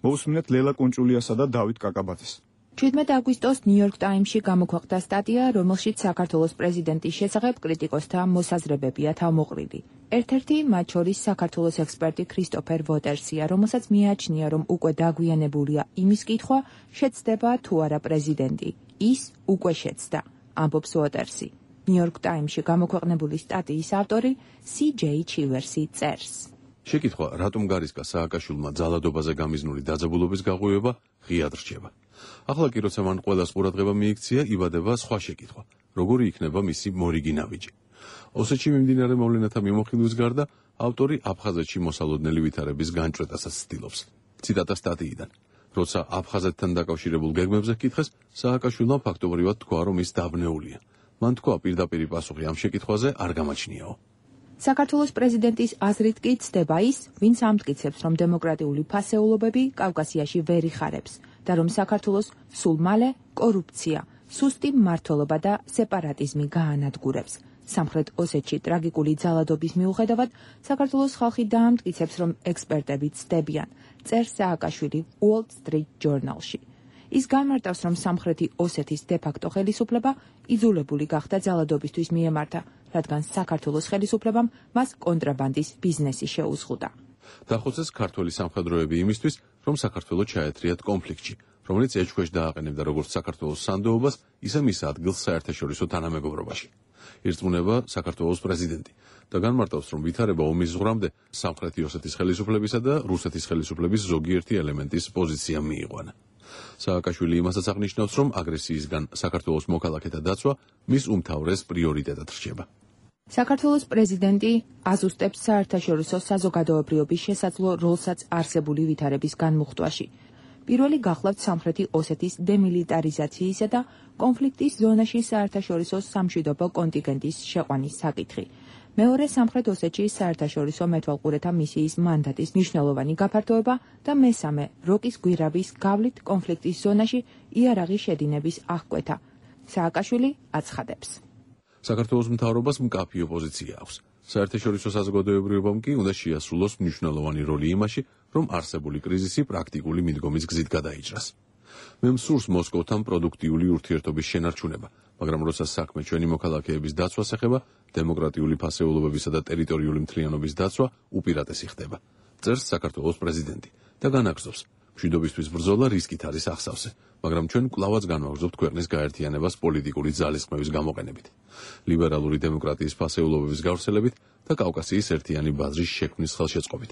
მოусმინეთ ლელა კუნჭულიასა და დავით კაკაბაძეს. შვიდმეტ აგვისტოს ნიუ-იორკ ტაიმსში გამოქვეყნდა სტატია, რომელშიც საქართველოს პრეზიდენტის შესახებ კრიტიკოსთა მოსაზრებებია თავმოყრილი. ერთ-ერთი მათ შორის საქართველოს ექსპერტი ქრისტოფერ ვოტერსია, რომელსაც მიაჩნია, რომ უკვე დაგვიანებულია იმის კითხვა, შეცდება თუ არა პრეზიდენტი. ის უკვე შეცდა, ამბობს ვოტერსი. ნიუ-იორკ ტაიმსში გამოქვეყნებული სტატიის ავტორი სი ჯეი ჩივერსი წერს. შეკითხვა, რატომ გარისკა სააკაშვილმა ძალადობაზე გამიზნული დაძაბულობის გაღვივება ღიად რჩება. ახლა კი როცა მან ყველას ყურადღება მიიქცია, იბადება სხვა შეკითხვა, როგორი იქნება მისი მორიგი ნაბიჯი. ოსეთში მიმდინარე მოვლენათა მიმოხილვის გარდა, ავტორი აფხაზეთში მოსალოდნელი ვითარების განჭვრეტასაც ცდილობს. ციტატა სტატიიდან. როცა აფხაზეთთან დაკავშირებულ გეგმებზე კითხეს, სააკაშვილმა ფაქტობრივად თქვა, რომ ის დაბნეულია. მან თქვა, პირდაპირი პასუხი ამ შეკითხვაზე არ გამაჩნიაო. საქართველოს პრეზიდენტის აზრით კი ცდება ის, ვინც ამტკიცებს, რომ დემოკრატიული ფასეულობები კავკასიაში ვერ იხარებს და რომ საქართველოს სულ მალე კორუფცია, სუსტი მმართველობა და სეპარატიზმი გაანადგურებს. სამხრეთ ოსეთში ტრაგიკული ძალადობის მიუხედავად, საქართველოს ხალხი დაამტკიცებს, რომ ექსპერტები ცდებიან, წერს სააკაშვილი Wall Street Journal-ში. ის განმარტავს, რომ სამხრეთი ოსეთის დე-ფაქტო ხელისუფლება იძულებული გახდა ძალადობისთვის მიემართა, რადგან საქართველოს ხელისუფლებამ მას კონტრაბანდის ბიზნესი შეუზღუდა. დახოცეს ქართველი სამხედროები იმისთვის, რომ საქართველოს ჩაეთრიათ კონფლიქტში, რომელიც ეჭქვეშ დააყენებდა როგორც საქართველოს სანდოობას, ისე მის ადგილს საერთაშორისო თანამეგობრობაში. ირწმუნება საქართველოს პრეზიდენტი და განმარტავს, რომ ვითარება ომის ზღვრამდე სამხრეთი ოსეთის ხელისუფლებისა და რუსეთის ხელისუფლების ზოგიერთი ელემენტის პოზიცია მიიყვანა. სააკაშვილი იმასაც აღნიშნავს, რომ აგრესიისგან საქართველოს მოქალაქეთა დაცვა მის უმთავრეს პრიორიტეტად რჩება. საქართველოს პრეზიდენტი აზუსტებს საერთაშორისო საზოგადოებრიობის შესაძლო როლსაც არსებული ვითარების განმუხტვაში. პირველი გახლავთ სამხრეთი ოსეთის დემილიტარიზაციისა და კონფლიქტის ზონაში საერთაშორისო სამშვიდობო კონტინგენტის შეყვანის საკითხი. მეორე სამხრეთ ოსეთში საერთაშორისო მეთვალყურეთა მისიის მანდატის მნიშვნელოვანი გაფართოება და მესამე როკის გვირაბის გავლით კონფლიქტის ზონაში იარაღის შედინების აღკვეთა. სააკაშვილი აცხადებს. საქართველოს მთავრობას მკაფიო პოზიცია აქვს. საერთაშორისო საზოგადოებრიობამ კი უნდა შეასრულოს მნიშვნელოვანი როლი იმაში, რომ არსებული კრიზისი პრაქტიკული მიდგომის გზით გადაიჭრას. მე მსურს მოსკოვთან პროდუქტიული ურთიერთობის შენარჩუნება, მაგრამ როცა საქმე ჩვენი მოქალაქეების დაცვას ეხება, დემოკრატიული ფასეულობებისა და ტერიტორიული მთლიანობის დაცვა უპირატესი ხდება. წერს საქართველოს პრეზიდენტი და განაგრძობს. მშვიდობისთვის ბრძოლა რისკით არის ახსავსე, მაგრამ ჩვენ კვლავაც განვაგრძობთ ქვეყნის გაერთიანებას პოლიტიკური ძალისხმევის გამოყენებით, ლიბერალური დემოკრატიის ფასეულობების გავრცელებით და კავკასიის ერთიანი ბაზრის შექმნის ხელშეწყობით,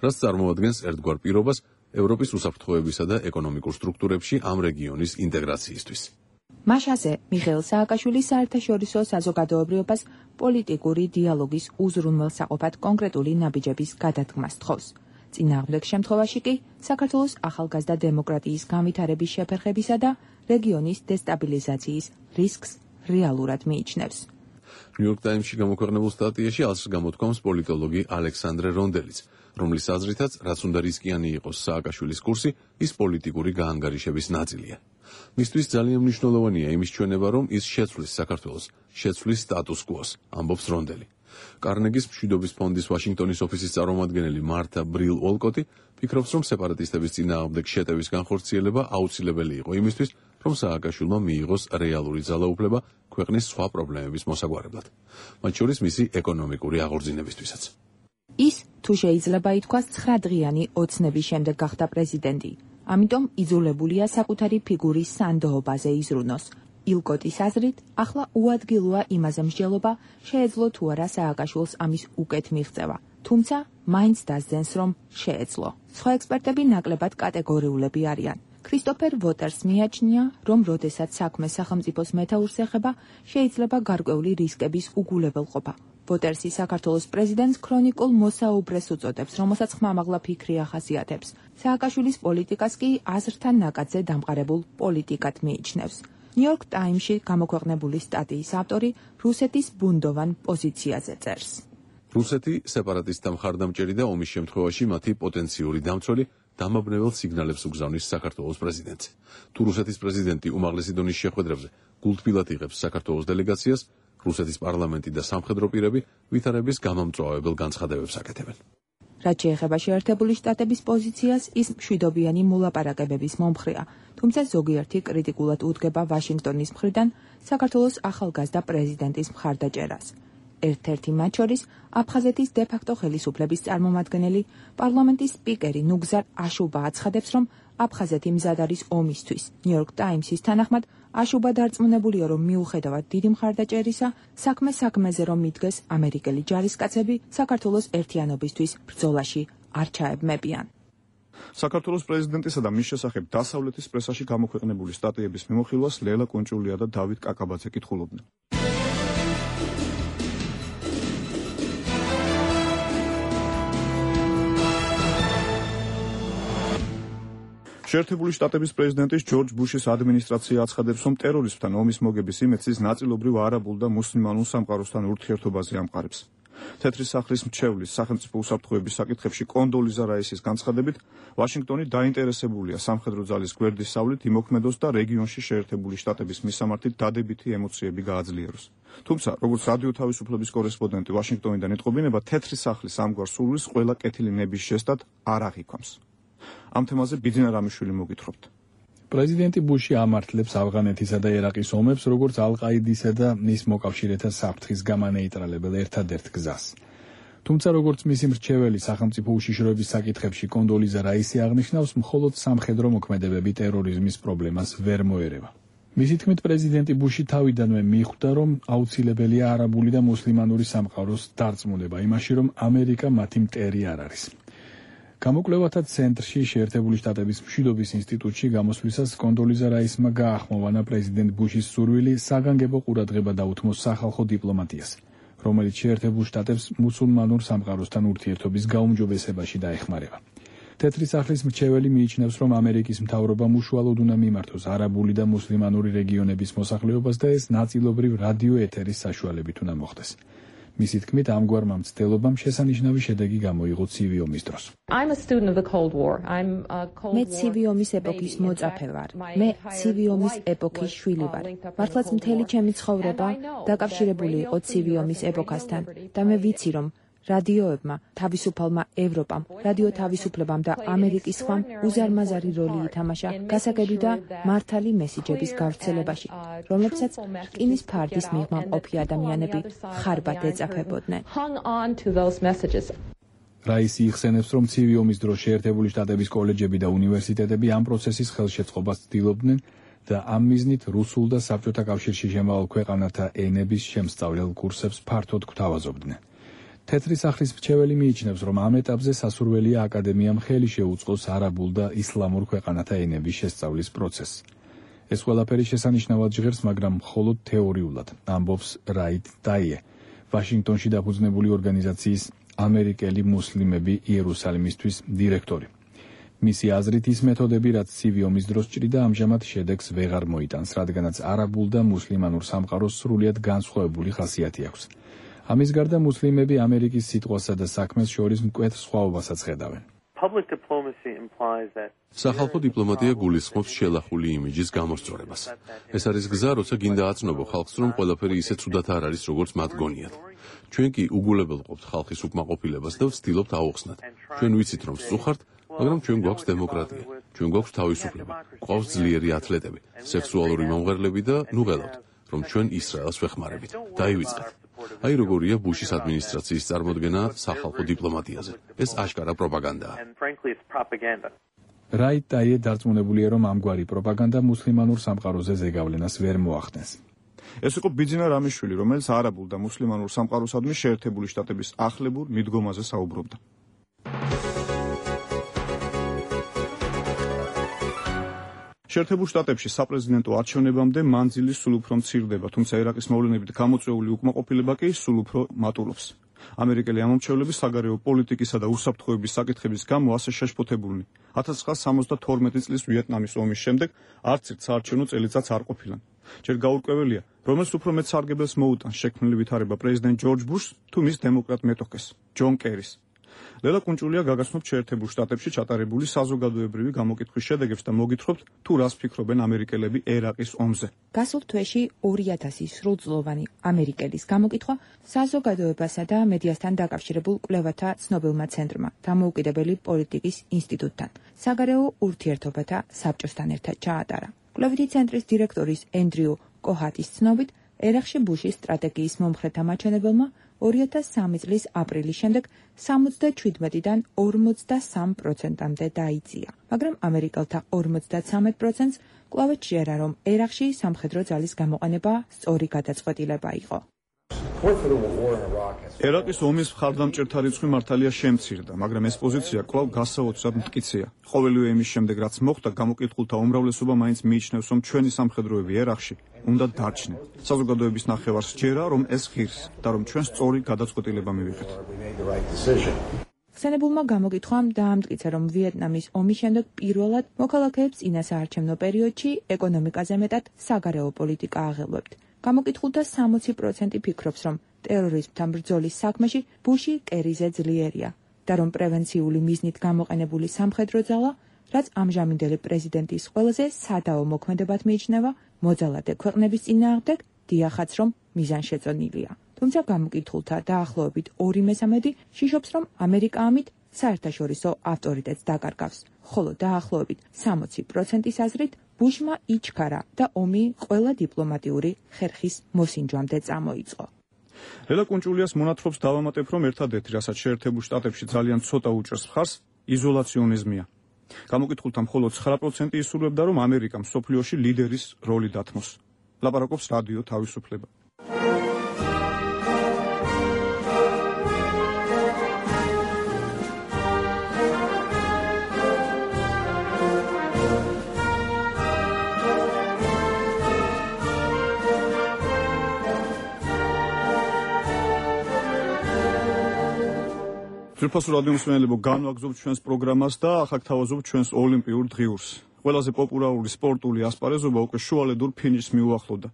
რაც წარმოადგენს ერთგვარ პირობას ევროპის უსაფრთხოებისა და ეკონომიკურ სტრუქტურებში ამ რეგიონის ინტეგრაციისთვის. მაშაზე მიხეილ სააკაშვილის საერთაშორისო საზოგადოებრიობას პოლიტიკური დიალოგის უზრუნველსაყოფად კონკრეტული ნაბიჯების გადადგმას თხოვს. წინააღმდეგ შემთხვევაში კი საქართველოს ახალგაზრდა დემოკრატიის განვითარების შეფერხებისა და რეგიონის დესტაბილიზაციის რისკს რეალურად მიიჩნევს. ნიუ-იორკ ტაიმსში გამოქვეყნებულ სტატიაში აზრს გამოთქვამს პოლიტოლოგი ალექსანდრე რონდელიც, რომლის აზრითაც, რაც უნდა რისკიანი იყოს სააკაშვილის კურსი, ის პოლიტიკური გაანგარიშების ნაწილია. მისთვის ძალიან მნიშვნელოვანია იმის ჩვენება, რომ ის შეცვლის საქართველოს, შეცვლის სტატუს კუოს, ამბობს რონდელი. კარნეგის მშვიდობის ფონდის ვაშინგტონის ოფისის წარმომადგენელი მართა ბრილ ოლკოტი ფიქრობს, რომ სეპარატისტების წინააღმდეგ შეტევის განხორციელება აუცილებელი იყო იმისთვის, რომ სააკაშვილმა მიიღოს რეალური ძალაუფლება ქვეყნის სხვა პრობლემების მოსაგვარებლად, მათ შორის მისი ეკონომიკური აღორძინებისთვისაც. ის, თუ შეიძლება ითქვას, ცხრადღიანი ოცნების შემდეგ გახდა პრეზიდენტი, ამიტომ იძულებულია საკუთარი ფიგურის სანდოობაზე იზრუნოს. ილკოტის აზრით, ახლა უადგილოა იმაზე მსჯელობა, შეეძლო თუ არა სააკაშვილს ამის უკეთ მიღწევა, თუმცა მაინც დასძენს, რომ შეეძლო. სხვა ექსპერტები ნაკლებად კატეგორიულები არიან. ქრისტოფერ ვოტერს მიაჩნია, რომ როდესაც საქმე სახელმწიფოს მეთაურს ეხება, შეიძლება გარკვეული რისკების უგულებელყოფა. ვოტერსი საქართველოს პრეზიდენტს ქრონიკულ მოსაუბრეს უწოდებს, რომელსაც ხმამაღლა ფიქრი ახასიათებს. სააკაშვილის პოლიტიკას კი აზრთან ნაკადზე დამყარებულ პოლიტიკად მიიჩნევს. ნიუ-იორკ ტაიმსში გამოქვეყნებული სტატიის ავტორი რუსეთის ბუნდოვან პოზიციაზე წერს. რუსეთი სეპარატისტთა მხარდამჭერი და ომის შემთხვევაში მათი პოტენციური დამცველი დამაბნეველ სიგნალებს უგზავნის საქართველოს პრეზიდენტს. თუ რუსეთის პრეზიდენტი უმაღლესი დონის შეხვედრებზე გულთბილად იღებს საქართველოს დელეგაციას, რუსეთის პარლამენტი და სამხედრო პირები ვითარების გამომწვავებელ განცხადებებს აკეთებენ. რაც შეეხება შეერთებული შტატების პოზიციას, ის მშვიდობიანი მოლაპარაკებების მომხრეა, თუმცა ზოგიერთი კრიტიკულად უდგება ვაშინგტონის მხრიდან საქართველოს ახალგაზრდა პრეზიდენტის მხარდაჭერას. ერთ-ერთი მათ შორის აფხაზეთის დე-ფაქტო ხელისუფლების წარმომადგენელი, პარლამენტის სპიკერი ნუგზარ აშუბა აცხადებს, რომ აფხაზეთი მზად არის ომისთვის. ნიუ-იორკ ტაიმსის თანახმად, აშუბა დარწმუნებულია, რომ მიუხედავად დიდი მხარდაჭერისა, საქმე საქმეზე რომ მიდგეს, ამერიკელი ჯარისკაცები საქართველოს ერთიანობისთვის ბრძოლაში არ ჩაებმებიან. საქართველოს პრეზიდენტისა და მის შესახებ დასავლეთის პრესაში გამოქვეყნებული სტატიების მიმოხილვას ლელა კუნჭულია და დავით კაკაბაძე კითხულობდნენ. შეერთებული შტატების პრეზიდენტის ჯორჯ ბუშის ადმინისტრაცია აცხადებს, რომ ტერორიზმთან ომის მოგების იმეცის ნაწილობრივ არაბულ და მუსლიმანულ სამყაროსთან ურთიერთობაზე ამყარებს. თეთრი სახლის მრჩევლის სახელმწიფო უსაფრთხოების საკითხებში კონდოლიზა რაისის განცხადებით, ვაშინგტონი დაინტერესებულია სამხედრო ძალის გვერდისავლით იმოქმედოს და რეგიონში შეერთებული შტატების მისამართით დადებითი ემოციები გააძლიეროს. თუმცა, როგორც რადიო თავისუფლების კორესპონდენტი ვაშინგტონიდან იტყობინება, თეთრი სახლის ამგვარ სურვილს ყველა კეთილი ნების ჟესტად არ აღიქვამს. ამ თემაზე ბიძინა რამიშვილი მოგითხრობთ. პრეზიდენტი ბუში ამართლებს ავღანეთისა და ერაყის ომებს, როგორც ალ-ყაიდისა და მის მოკავშირეთა საფრთხის გამანეიტრალებელ ერთადერთ გზას. თუმცა, როგორც მისი მრჩეველი სახელმწიფო უშიშროების საკითხებში კონდოლიზა რაისი აღნიშნავს, მხოლოდ სამხედრო მოქმედებები ტერორიზმის პრობლემას ვერ მოერევა. მისი თქმით, პრეზიდენტი ბუში თავიდანვე მიხვდა, რომ აუცილებელია არაბული და მუსლიმანური სამყაროს დარწმუნება იმაში, რომ ამერიკა მათი მტერი არ არის. გამოკვლევათა ცენტრში შეერთებული შტატების მშვიდობის ინსტიტუტში გამოსვლისას კონდოლიზა რაისმა გაახმოვანა პრეზიდენტ ბუშის სურვილი საგანგებო ყურადღება დაუთმოს სახალხო დიპლომატიას, რომელიც შეერთებულ შტატებს მუსულმანურ სამყაროსთან ურთიერთობის გაუმჯობესებაში დაეხმარება. თეთრი სახლის მრჩეველი მიიჩნევს, რომ ამერიკის მთავრობამ უშუალოდ უნდა მიმართოს არაბული და მუსლიმანური რეგიონების მოსახლეობას და ეს ნაწილობრივ რადიო ეთერის საშუალებით უნდა მოხდეს. მისი თქმით, ამგვარმა მცდელობამ შესანიშნავი შედეგი გამოიღო ცივი ომის დროს. მე ცივი ომის ეპოქის მოწაფე ვარ. მე ცივი ომის ეპოქის შვილი ვარ. მართლაც მთელი ჩემი ცხოვრება დაკავშირებული იყო ცივი ომის ეპოქასთან და მე ვიცი, რომ რადიოებმა, თავისუფალმა ევროპამ, რადიო თავისუფლებამ და ამერიკის სხვამ უზარმაზარი როლი ითამაშა გასაგები და მართალი მესიჯების გავრცელებაში, რომლებსაც რკინის ფარდის მიღმა მყოფი ადამიანები ხარბად ეწაფებოდნენ. რაისი იხსენებს, რომ ცივი ომის დროს შეერთებული შტატების კოლეჯები და უნივერსიტეტები ამ პროცესის ხელშეწყობას ცდილობდნენ და ამ მიზნით რუსულ და საბჭოთა კავშირში შემავალ ქვეყანათა ენების შემსწავლელ კურსებს ფართოდ გვთავაზობდნენ. თეთრი სახლის მრჩეველი მიიჩნევს, რომ ამ ეტაპზე სასურველია აკადემიამ ხელი შეუწყოს არაბულ და ისლამურ ქვეყანათა ენების შესწავლის პროცესს. ეს ყველაფერი შესანიშნავად ჟღერს, მაგრამ მხოლოდ თეორიულად, ამბობს რაით დაიე, ვაშინგტონში დაფუძნებული ორგანიზაციის ამერიკელი მუსლიმები იერუსალიმისთვის დირექტორი. მისი აზრით ის მეთოდები, რაც ცივი ომის დროს ჭრიდა, ამჟამად შედეგს ვეღარ მოიტანს, რადგანაც არაბულ და მუსლიმანურ სამყაროს სრულიად განსხვავებული ხასიათი აქვს. ამის გარდა მუსლიმები ამერიკის სიტყვასა და საქმეს შორის მკვეთ სხვაობასაც ხედავენ. სახალხო დიპლომატია გულისხმობს შელახული იმიჯის გამოსწორებას. ეს არის გზა, როცა გინდა აცნობო ხალხს, რომ ყველაფერი ისე ცუდად არ არის, როგორც მათ გონიათ. ჩვენ კი უგულებელყოფთ ხალხის უკმაყოფილებას და ვცდილობთ აუხსნათ. ჩვენ ვიცით, რომ სწუხართ, მაგრამ ჩვენ გვაქვს დემოკრატია, ჩვენ გვაქვს თავისუფლება, გვყავს ძლიერი ათლეტები, სექსუალური მომღერლები და ნუ ველავთ, რომ ჩვენ ისრაელს ვეხმარებით. დაივიწყეთ. აი როგორია ბუშის ადმინისტრაციის წარმოდგენა სახალხო დიპლომატიაზე. ეს აშკარა პროპაგანდაა. რაით დაიე დარწმუნებულია, რომ ამგვარი პროპაგანდა მუსლიმანურ სამყაროზე ზეგავლენას ვერ მოახდენს. ეს იყო ბიძინა რამიშვილი, რომელიც არაბულ და მუსლიმანურ სამყაროსადმი შეერთებული შტატების ახლებურ მიდგომაზე საუბრობდა. შეერთებულ შტატებში საპრეზიდენტო არჩევნებამდე მანძილი სულ უფრო მცირდება, თუმცა ერაყის მოვლენებით გამოწვეული უკმაყოფილება კი სულ უფრო მატულობს. ამერიკელი ამომრჩევლები საგარეო პოლიტიკისა და უსაფრთხოების საკითხების გამო ასე შეშფოთებულნი. ათას ცხრაასა სამოცდათორმეტი წლის ვიეტნამის ომის შემდეგ არც ერთ საარჩევნო წელიწადს არ ყოფილან. ჯერ გაურკვეველია, რომელს უფრო მეტ სარგებელს მოუტანს შექმნილი ვითარება პრეზიდენტ ჯორჯ ბუშს თუ მის დემოკრატ მეტოქეს, ჯონ კერის. ლელა კუნჭულია გაგაცნობთ შეერთებულ შტატებში ჩატარებული საზოგადოებრივი გამოკითხვის შედეგებს და მოგითხრობთ თუ რას ფიქრობენ ამერიკელები ერაყის ომზე. გასულ თვეში ორი ათასი სრულწლოვანი ამერიკელის გამოკითხვა საზოგადოებასა და მედიასთან დაკავშირებულ კვლევათა ცნობილმა ცენტრმა დამოუკიდებელი პოლიტიკის ინსტიტუტთან საგარეო ურთიერთობათა საბჭოსთან ერთად ჩაატარა. კვლევითი ცენტრის დირექტორის ენდრიუ კოჰატის ცნობით, ერაყში ბუშის სტრატეგიის მომხრეთა მაჩვენებელმა ორი ათას სამი წლის აპრილის შემდეგ სამოცდაჩვიდმეტიდან ორმოცდასამ პროცენტამდე დაიწია, მაგრამ ამერიკელთა ორმოცდაცამეტ პროცენტს კვლავ შეერა, რომ ერაყში სამხედრო ძალის გამოყენება სწორი გადაწყვეტილება იყო. ერაყის ომის მხარდამჭერთა რიცხვი მართალია შემცირდა, მაგრამ ეს პოზიცია კვლავ გასაოცრად მტკიცეა. ყოველივე იმის შემდეგ, რაც მოხდა, გამოკითხულთა უმრავლესობა მაინც მიიჩნევს, რომ ჩვენი სამხედროები ერაყში უნდა დარჩნენ. საზოგადოების ნახევარს სჯერა, რომ ეს ღირს და რომ ჩვენ სწორი გადაწყვეტილება მივიღეთ. ხსენებულმა გამოკითხვამ დაამტკიცა, რომ ვიეტნამის ომის შემდეგ პირველად მოქალაქეებს წინასაარჩევნო პერიოდში ეკონომიკაზე მეტად საგარეო პოლიტიკა აღელვებთ. გამოკითხულთა სამოცი პროცენტი ფიქრობს, რომ ტერორიზმთან ბრძოლის საქმეში ბუში კერიზე ძლიერია და რომ პრევენციული მიზნით გამოყენებული სამხედრო ძალა, რაც ამჟამინდელი პრეზიდენტის ყველაზე სადაო მოქმედებად მიიჩნევა, მოძალადე ქვეყნების წინააღმდეგ, დიახაც რომ მიზანშეწონილია. თუმცა გამოკითხულთა დაახლოებით ორი მესამედი შიშობს, რომ ამერიკა ამით საერთაშორისო ავტორიტეტს დაკარგავს, ხოლო დაახლოებით სამოცი პროცენტის აზრით ბუშმა იჩქარა და ომი ყველა დიპლომატიური ხერხის მოსინჯვამდე წამოიწყო. ლელა კუნჭულიას მონათხრობს დავამატებ, რომ ერთადერთი, რასაც შეერთებულ შტატებში ძალიან ცოტა უჭერს მხარს, იზოლაციონიზმია. გამოკითხულთა მხოლოდ ცხრა პროცენტი ისურვებდა, რომ ამერიკამ მსოფლიოში ლიდერის როლი დათმოს. ლაპარაკობს რადიო თავისუფლება. ძვირფასო რადიო მსმენელებო, განვაგრძობთ ჩვენს პროგრამას და ახლა გთავაზობთ ჩვენს ოლიმპიურ დღიურს. ყველაზე პოპულარული სპორტული ასპარეზობა უკვე შუალედურ ფინიშს მიუახლოვდა.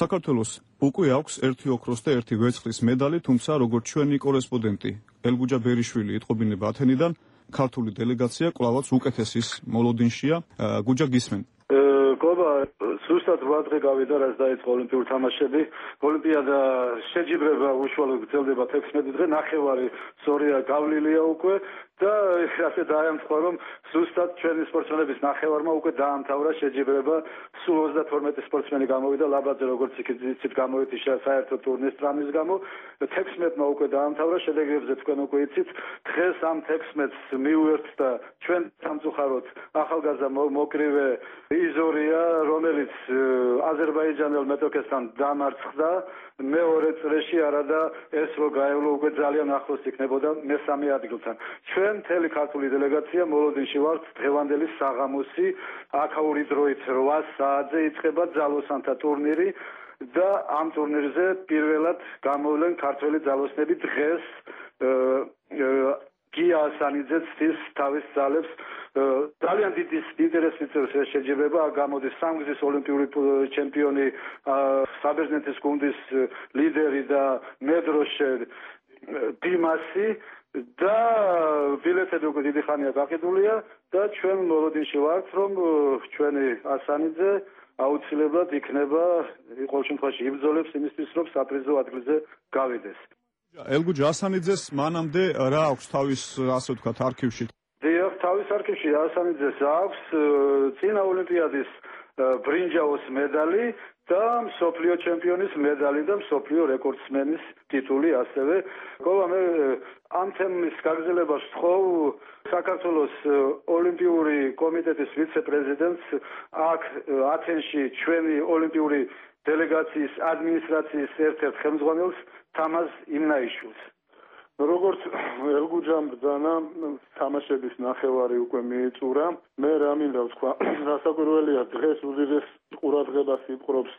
საქართველოს უკვე აქვს ერთი ოქროს და ერთი ვერცხლის მედალი, თუმცა როგორც ჩვენი კორესპონდენტი ელგუჯა ბერიშვილი იტყობინება ათენიდან, ქართული დელეგაცია კვლავაც უკეთესის მოლოდინშია. გუჯა, გისმენ? მდგომა სუსტად რვა დღე გავიდა, რაც დაიწყო ოლიმპიური თამაშები. ოლიმპიადა შეჯიბრება უშუალოდ გრძელდება თექვსმეტი დღე, ნახევარი სწორია გავლილია უკვე და ასე დაემთხვა, რომ სუსტად ჩვენი სპორტსმენების ნახევარმა უკვე დაამთავრა შეჯიბრება. სულ ოცდათორმეტი სპორტსმენი გამოვიდა, ლაბაძე როგორც იცით გამოვიდა საერთო ტურნირის ტრამვის გამო. თექვსმეტმა უკვე დაამთავრა, შედეგებზე თქვენ უკვე იცით. დღეს ამ თექვსმეტს მივუერთდა ჩვენ სამწუხაროდ ახალგაზრდა მოკრივე იზორია, რომელიც აზერბაიჯანელ მეტოქესთან დამარცხდა მეორე წრეში, არადა ეს რო გაევლო უკვე ძალიან ახლოს იქნებოდა მესამე ადგილთან. ჩვენ მთელი ქართული დელეგაცია მოლოდინში ვართ დღევანდელი საღამოსი, აქაური დროით რვა საათზე იწყება ძალოსანთა ტურნირი და ამ ტურნირზე პირველად გამოვლენ ქართველი ძალოსნები დღეს გია ასანიძე ცდის თავის ძალებს ძალიან დიდი ინტერესი წევს ეს შეჯიბრება. გამოდის სამგზის ოლიმპიური ჩემპიონი, საბერძნეთის გუნდის ლიდერი და მედროშე დიმასი და ბილეთები უკვე დიდი ხანია გაყიდულია და ჩვენ მოლოდინში ვართ, რომ ჩვენი ასანიძე აუცილებლად იქნება ყოველ შემთხვევაში იბრძოლებს იმისთვის, რომ საპრიზო ადგილზე გავიდეს. ელგუჯა ასანიძეს მანამდე რა აქვს თავის, ასე ვთქვათ, არქივში? დიახ, თავის არქივში ასანიძეს აქვს წინა ოლიმპიადის ბრინჯაოს მედალი და მსოფლიო ჩემპიონის მედალი და მსოფლიო რეკორდსმენის ტიტული ასევე. ყოლა მე ამ თემის გაგრძელებას ვთხოვ საქართველოს ოლიმპიური კომიტეტის ვიცე-პრეზიდენტს აქ ათენში ჩვენი ოლიმპიური დელეგაციის ადმინისტრაციის ერთ-ერთ ხელმძღვანელს თამაზ იმნაიშვილს. როგორც ელგუჯამ ბრძანა თამაშების ნახევარი უკვე მიიწურა. მე რა მინდა ვთქვა, გასაკვირველია დღეს უდიდეს ყურადღებას იპყრობს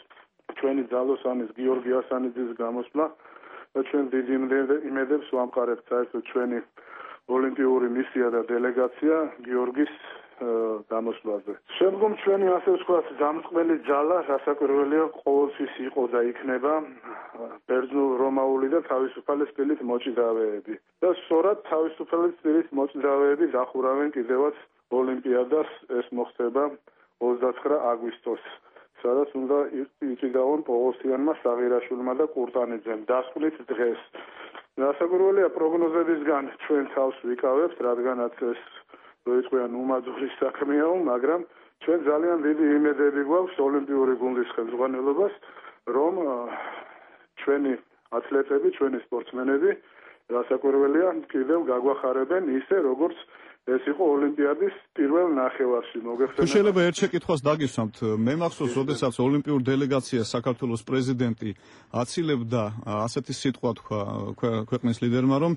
ჩვენი ძალოსანის გიორგი ასანიძის გამოსვლა და ჩვენ დიდი იმედებს ვამყარებთ საერთოდ ჩვენი ოლიმპიური მისია და დელეგაცია გიორგის გამოსვლაზე. შემდგომ ჩვენი ასე ვთქვათ დამწყმელი ძალა გასაკვირველია ყოველთვის იყო და იქნება ბერძნულ-რომაული და თავისუფალი სტილით მოჭიდავეები. და სწორად თავისუფალი სტილით მოჭიდავეები დახურავენ კიდევაც ოლიმპიადას, ეს მოხდება ოცდათხრა აგვისტოს, სადაც უნდა იჭიდაონ პოღოსიანმა, საღირაშვილმა და კურტანიძემ. დასკვნით დღეს. გასაკვირველია პროგნოზებისგან ჩვენ თავს ვიკავებთ, რადგანაც ეს როიწყვიან უმაძური საქმეაო, მაგრამ ჩვენ ძალიან დიდი იმედები გვაქვს ოლიმპიური გუნდის ხელმძღვანელობას, რომ ჩვენი ათლეტები, ჩვენი სპორტსმენები გასაკვირველია კიდევ გაგვახარებენ ისე, როგორც ეს იყო ოლიმპიადის პირველ ნახევარში. მოგეხსენებათ. თუ შეიძლება ერთ შეკითხვას დაგისვამთ, მე მახსოვს, როდესაც ოლიმპიურ დელეგაციას საქართველოს პრეზიდენტი აცილებდა ასეთი სიტყვა თქვა ქვეყნის ლიდერმა, რომ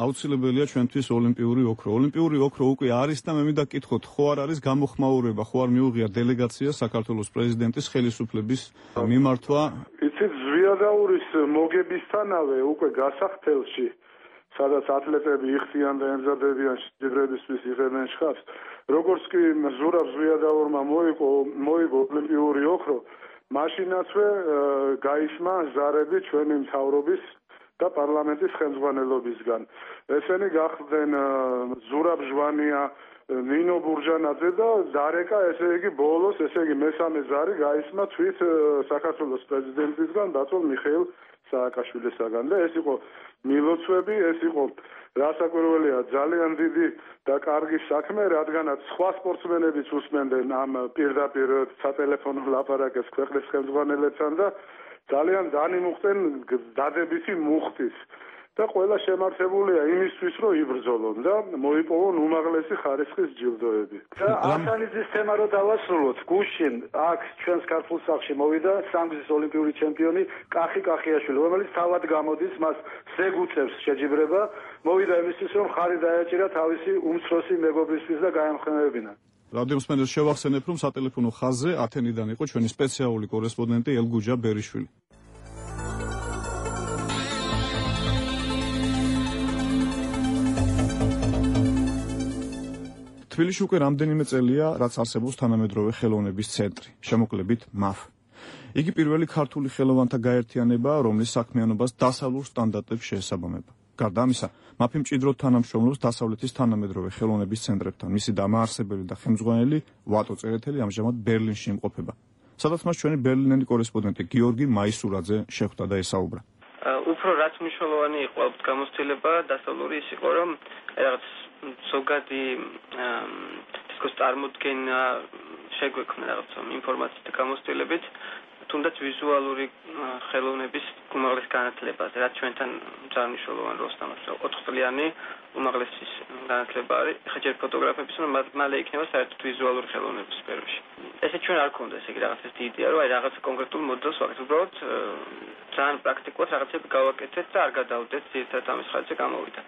აუცილებელია ჩვენთვის ოლიმპიური ოქრო. ოლიმპიური ოქრო უკვე არის და მე მინდა გკითხოთ, ხო არ არის გამოხმაურება, ხო არ მიუღია დელეგაცია საქართველოს პრეზიდენტის ხელისუფლების მიმართვა? იცით, ზვიადაურის მოგებისთანავე უკვე გასახდელში სადაც ათლეტები იხდიან და ემზადებიან შეჯიბრებისთვის იღებენ შხაპს. როგორც კი ზურაბ ზვიადაურმა მოიგო მოიგო ოლიმპიური ოქრო, მაშინაცვე გაისმა ზარები ჩვენი მთავრობის და პარლამენტის ხელმძღვანელობისგან. ესენი გახდნენ ზურაბ ჟვანია, ნინო ბურჯანაძე და დარეკა, ესე იგი ბოლოს, ესე იგი მესამე ზარი გაისმა თვით საქართველოს პრეზიდენტისგან, დათო მიხეილ სააკაშვილისაგან და ეს იყო მილოცვები, ეს იყო რასაკვირველია ძალიან დიდი და კარგი საქმე, რადგანაც სხვა სპორტსმენებიც უსმენდნენ ამ პირდაპირ სატელეფონო ლაპარაკებს ქვეყნის ხელმძღვანელებთან და ძალიან დანიმუხტენ დადებითი მუხტის და ყველა შემართებულია იმისთვის, რომ იბრძოლონ და მოიპოვონ უმაღლესი ხარისხის ჯილდოები. და ასანიძის თემა რო დავასრულოთ, გუშინ აქ ჩვენს ქართულ სახლში მოვიდა სამგზის ოლიმპიური ჩემპიონი კახი კახიაშვილი, რომელიც თავად გამოდის, მას ზეგუწევს შეჯიბრება, მოვიდა იმისთვის, რომ ხარი დაეჭირა თავისი უმცროსი მეგობრისთვის და გაემხნევებინა. რადიო მსმენელს შევახსენებ, რომ სატელეფონო ხაზზე ათენიდან იყო ჩვენი სპეციალური კორესპონდენტი ელგუჯა ბერიშვილი. თბილისში უკვე რამდენიმე წელია, რაც არსებობს თანამედროვე ხელოვნების ცენტრი, შემოკლებით მაფ. იგი პირველი ქართული ხელოვანთა გაერთიანებაა, რომლის საქმიანობას დასავლურ სტანდარტებს შეესაბამება. გარდა ამისა, მაფი მჭიდროდ თანამშრომლობს დასავლეთის თანამედროვე ხელოვნების ცენტრებთან. მისი დამაარსებელი და ხელმძღვანელი ვატო წერეთელი ამჟამად ბერლინში იმყოფება. სადაც მას ჩვენი ბერლინელი კორესპონდენტი გიორგი მაისურაძე შეხვდა და ესაუბრა. უფრო რაც მნიშვნელოვანი იყო ალბათ გამოცდილება დასავლური ის იყო, რომ რაღაც ზოგადი დისკოს წარმოდგენა შეგვექმნა რაღაც ინფორმაციით გამოცდილებით, თუნდაც ვიზუალური ხელოვნების უმაღლეს განათლებაზე, რაც ჩვენთან ძალიან მნიშვნელოვანი როლს თამაშობს. ოთხ წლიანი უმაღლესი განათლება არის. ხა ჯერ ფოტოგრაფების, მალე იქნება საერთოდ ვიზუალური ხელოვნების სფეროში. ესე ჩვენ არ გქონდა ესე იგი რაღაც ეს იდეა, რომ აი რაღაც კონკრეტულ მოდელს ვაკეთებ, უბრალოდ ძალიან პრაქტიკულად რაღაცები გავაკეთეთ და არ გადავდეთ ძირითადად ამის ხალხზე გამოვიდა.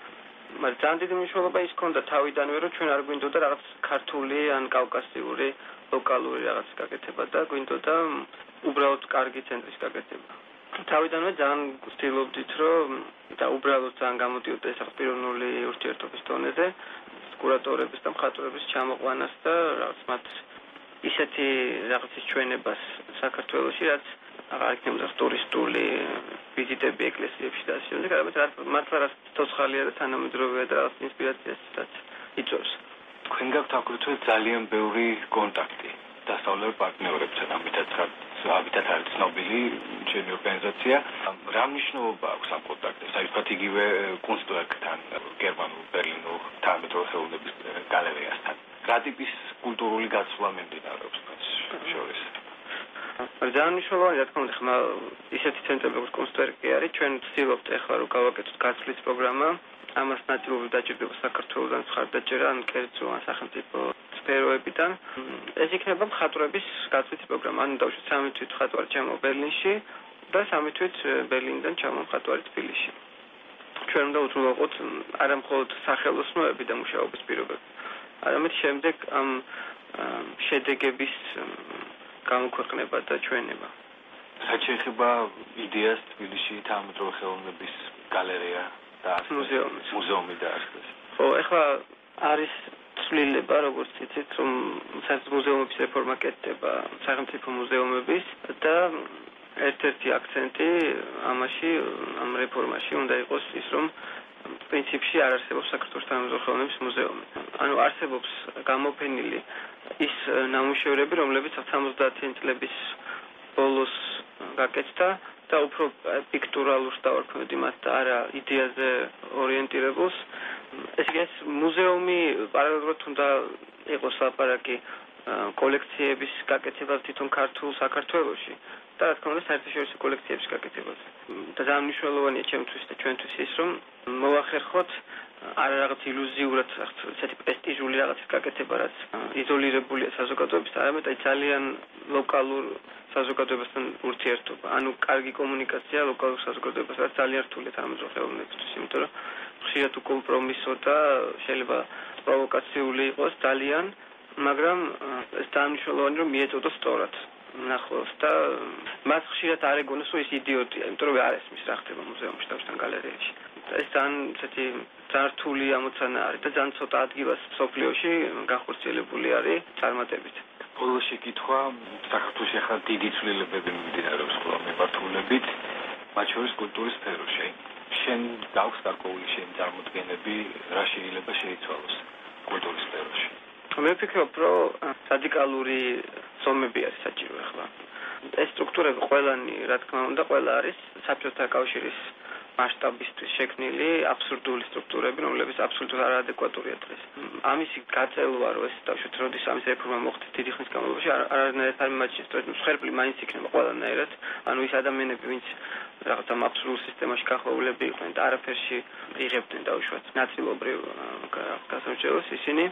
მაგრამ ძალიან დიდი მნიშვნელობა ის ქონდა თავიდანვე, რომ ჩვენ არ გვინდოდა რაღაც ქართული ან კავკასიური ლოკალური რაღაც გაკეთება და გვინდოდა უბრალოდ კარგი ცენტრის გაკეთება. თავიდანვე ძალიან ვცდილობდით, რომ და უბრალოდ ძალიან გამოდიოდა ეს პიროვნული ურთიერთობის დონეზე კურატორების და მხატვრების ჩამოყვანას და რაღაც მათ ისეთი რაღაცის ჩვენებას საქართველოში, რაც აღარ იქნებოდა ტურისტული ვიზიტები ეკლესიებში და ასე შემდეგ, არამედ მართლა რაც ცოცხალია და თანამედროვეა და რაღაც ინსპირაციასაც იწვევს. თქვენ გაქვთ აგრეთვე ძალიან ბევრი კონტაქტი დასავლურ პარტნიორებთან, ამიტაც ამიტაც არის ცნობილი ჩვენი ორგანიზაცია. რა მნიშვნელობა აქვს ამ კონტაქტებს? აი ვთქვათ იგივე კუნსტვერკთან, გერმანულ, ბერლინულ თანამედროვე ხელოვნების გალერეასთან. რა ტიპის კულტურული გაცვლა მიმდინარეობს თქვენს შორის? ძალიან მნიშვნელოვანი რა თქმა უნდა, ხმა ისეთი ცენტრები როგორც კუნსტვერკი არის, ჩვენ ვცდილობთ ახლა რომ გავაკეთოთ გაცვლის პროგრამა. ამას ნაწილობრივ დაჭირდება საქართველოსთან მხარდაჭერა, ან კერძო ან სახელმწიფო სფეროებიდან. ეს იქნება მხატვრების გაცვლის პროგრამა. ანუ დავუშვათ სამი თვით მხატვარი ჩამო ბერლინში და სამი თვით ბერლინიდან ჩამო მხატვარი თბილისში. ჩვენ უნდა უზრუნველყოთ არა მხოლოდ სახელოსნოები და მუშაობის პირობები, არამედ შემდეგ ამ შედეგების გამოქვეყნება და ჩვენება. რაც შეეხება იდეას თბილისში თანამედროვე ხელოვნების გალერეა და მუზეუმი. მუზეუმი დაარსდეს. ხო, ეხლა არის ცვლილება, როგორც იცით, რომ საერთოდ მუზეუმების რეფორმა კეთდება სახელმწიფო მუზეუმების და ერთ-ერთი აქცენტი ამაში, ამ რეფორმაში უნდა იყოს ის, რომ პრინციპში არ არსებობს საქართველოს თანამედროვე ხელოვნების მუზეუმი. ანუ არსებობს გამოფენილი ის ნამუშევრები, რომლებიც სამოცდაათიანი წლების ბოლოს გაკეთდა და უფრო პიქტურალურს დავარქმევდი მათ და არა იდეაზე ორიენტირებულს. ესე იგი, მუზეუმი პარალელურად უნდა იყოს ლაპარაკი კოლექციების გაკეთებაზე თვითონ ქართულ საქართველოში და რა თქმა უნდა საერთაშორისო კოლექციების გაკეთებაზე. და ძალიან მნიშვნელოვანია ჩემთვის და ჩვენთვის ის, რომ მოვახერხოთ არა რაღაც ილუზიურად ესეთი პრესტიჟული რაღაცის გაკეთება, რაც იზოლირებულია საზოგადოებისგან, არამედ აი ძალიან ლოკალურ საზოგადოებასთან ურთიერთობა. ანუ კარგი კომუნიკაცია ლოკალურ საზოგადოებასთან, რაც ძალიან რთულია თანამედროვე ხელოვნებისთვის, იმიტომ რომ ხშირად უკომპრომისო და შეიძლება პროვოკაციული იყოს ძალიან, მაგრამ ეს ძალიან მნიშვნელოვანი რომ მიეწოდოს სწორად ნახოს და მას ხშირად არ ეგონოს, რომ ის იდიოტია, იმიტომ რომ არ ესმის რა ხდება მუზეუმში და გალერეებში. ეს ძალიან ესეთი ძალიან რთული ამოცანა არის და ძალიან ცოტა ადგილას სოფლიოში განხორციელებული არის წარმატებით. ბოლო შეკითხვა, საქართველოში ახლა დიდი ცვლილებები მიმდინარეობს ყველა მიმართულებით, მათ შორის კულტურის სფეროში. შენ გაქვს გარკვეული შენი წარმოდგენები, რა შეიძლება შეიცვალოს კულტურის სფეროში? მე ვფიქრობ, რომ რადიკალური ზომები არის საჭირო ახლა. ეს სტრუქტურები ყველანი, რა თქმა უნდა, ყველა არის საბჭოთა კავშირის მასშტაბისთვის შექმნილი აბსურდული სტრუქტურები, რომლებიც აბსოლუტურად არაადეკვატურია დღეს. ამისი გაწელვა, რომ ეს დავშვით, როდის ამის რეფორმა მოხდეს დიდი ხნის განმავლობაში, არანაირად არ მიმაჩნევს, რომ მსხვერპლი მაინც იქნება ყველანაირად. ანუ ის ადამიანები, ვინც რაღაც ამ აბსურდულ სისტემაში გახვეულები იყვნენ და არაფერში იღებდნენ დავუშვათ ნაწილობრივ გასამრჩევლს, ისინი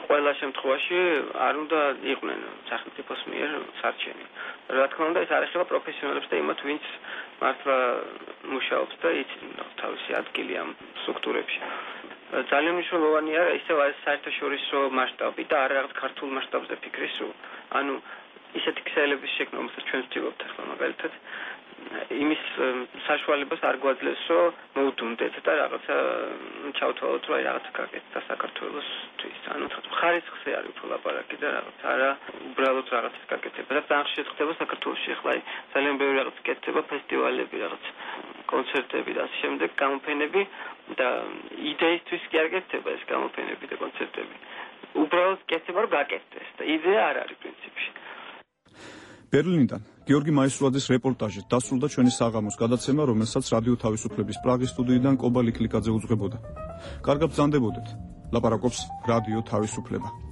ყველა შემთხვევაში არ უნდა იყვნენ სახელმწიფოს მიერ სარჩენი. რა თქმა უნდა, ეს არ ეხება პროფესიონალებს და იმათ, ვინც მართლა მუშაობს და იცის თავისი ადგილი ამ სტრუქტურებში. ძალიან მნიშვნელოვანია ისევ ეს საერთაშორისო მასშტაბი და არა რაღაც ქართულ მასშტაბზე ფიქრის სულ. ანუ ისეთი ქსელების შექმნა, რომელსაც ჩვენ ვცდილობთ ახლა მაგალითად იმის საშუალებას არ გვაძლევს, რომ მოვდუნდეთ და რაღაცა ჩავთვალოთ, რომ აი რაღაცა გაკეთდა საქართველოსთვის. ანუ ხარისხზე არის უფრო ლაპარაკი და რაღაც არა უბრალოდ რაღაცას გაკეთება. და ძალიან ხშირად ხდება საქართველოში ახლა აი ძალიან ბევრი რაღაც კეთდება, ფესტივალები, რაღაც კონცერტები და ასე შემდეგ, გამოფენები და იდეისთვის კი არ გეთდება ეს გამოფენები და კონცერტები. უბრალოდ კეთდება, რომ გაკეთდეს და იდეა არ არის პრინციპში. ბერლინიდან გიორგი მაისურაძის რეპორტაჟით დასრულდა ჩვენი საღამოს გადაცემა, რომელსაც რადიო თავისუფლების პრაღის სტუდიიდან კობა ლიკლიკაძე უძღვებოდა. კარგად ბრძანდებოდეთ. ლაპარაკობს რადიო თავისუფლება.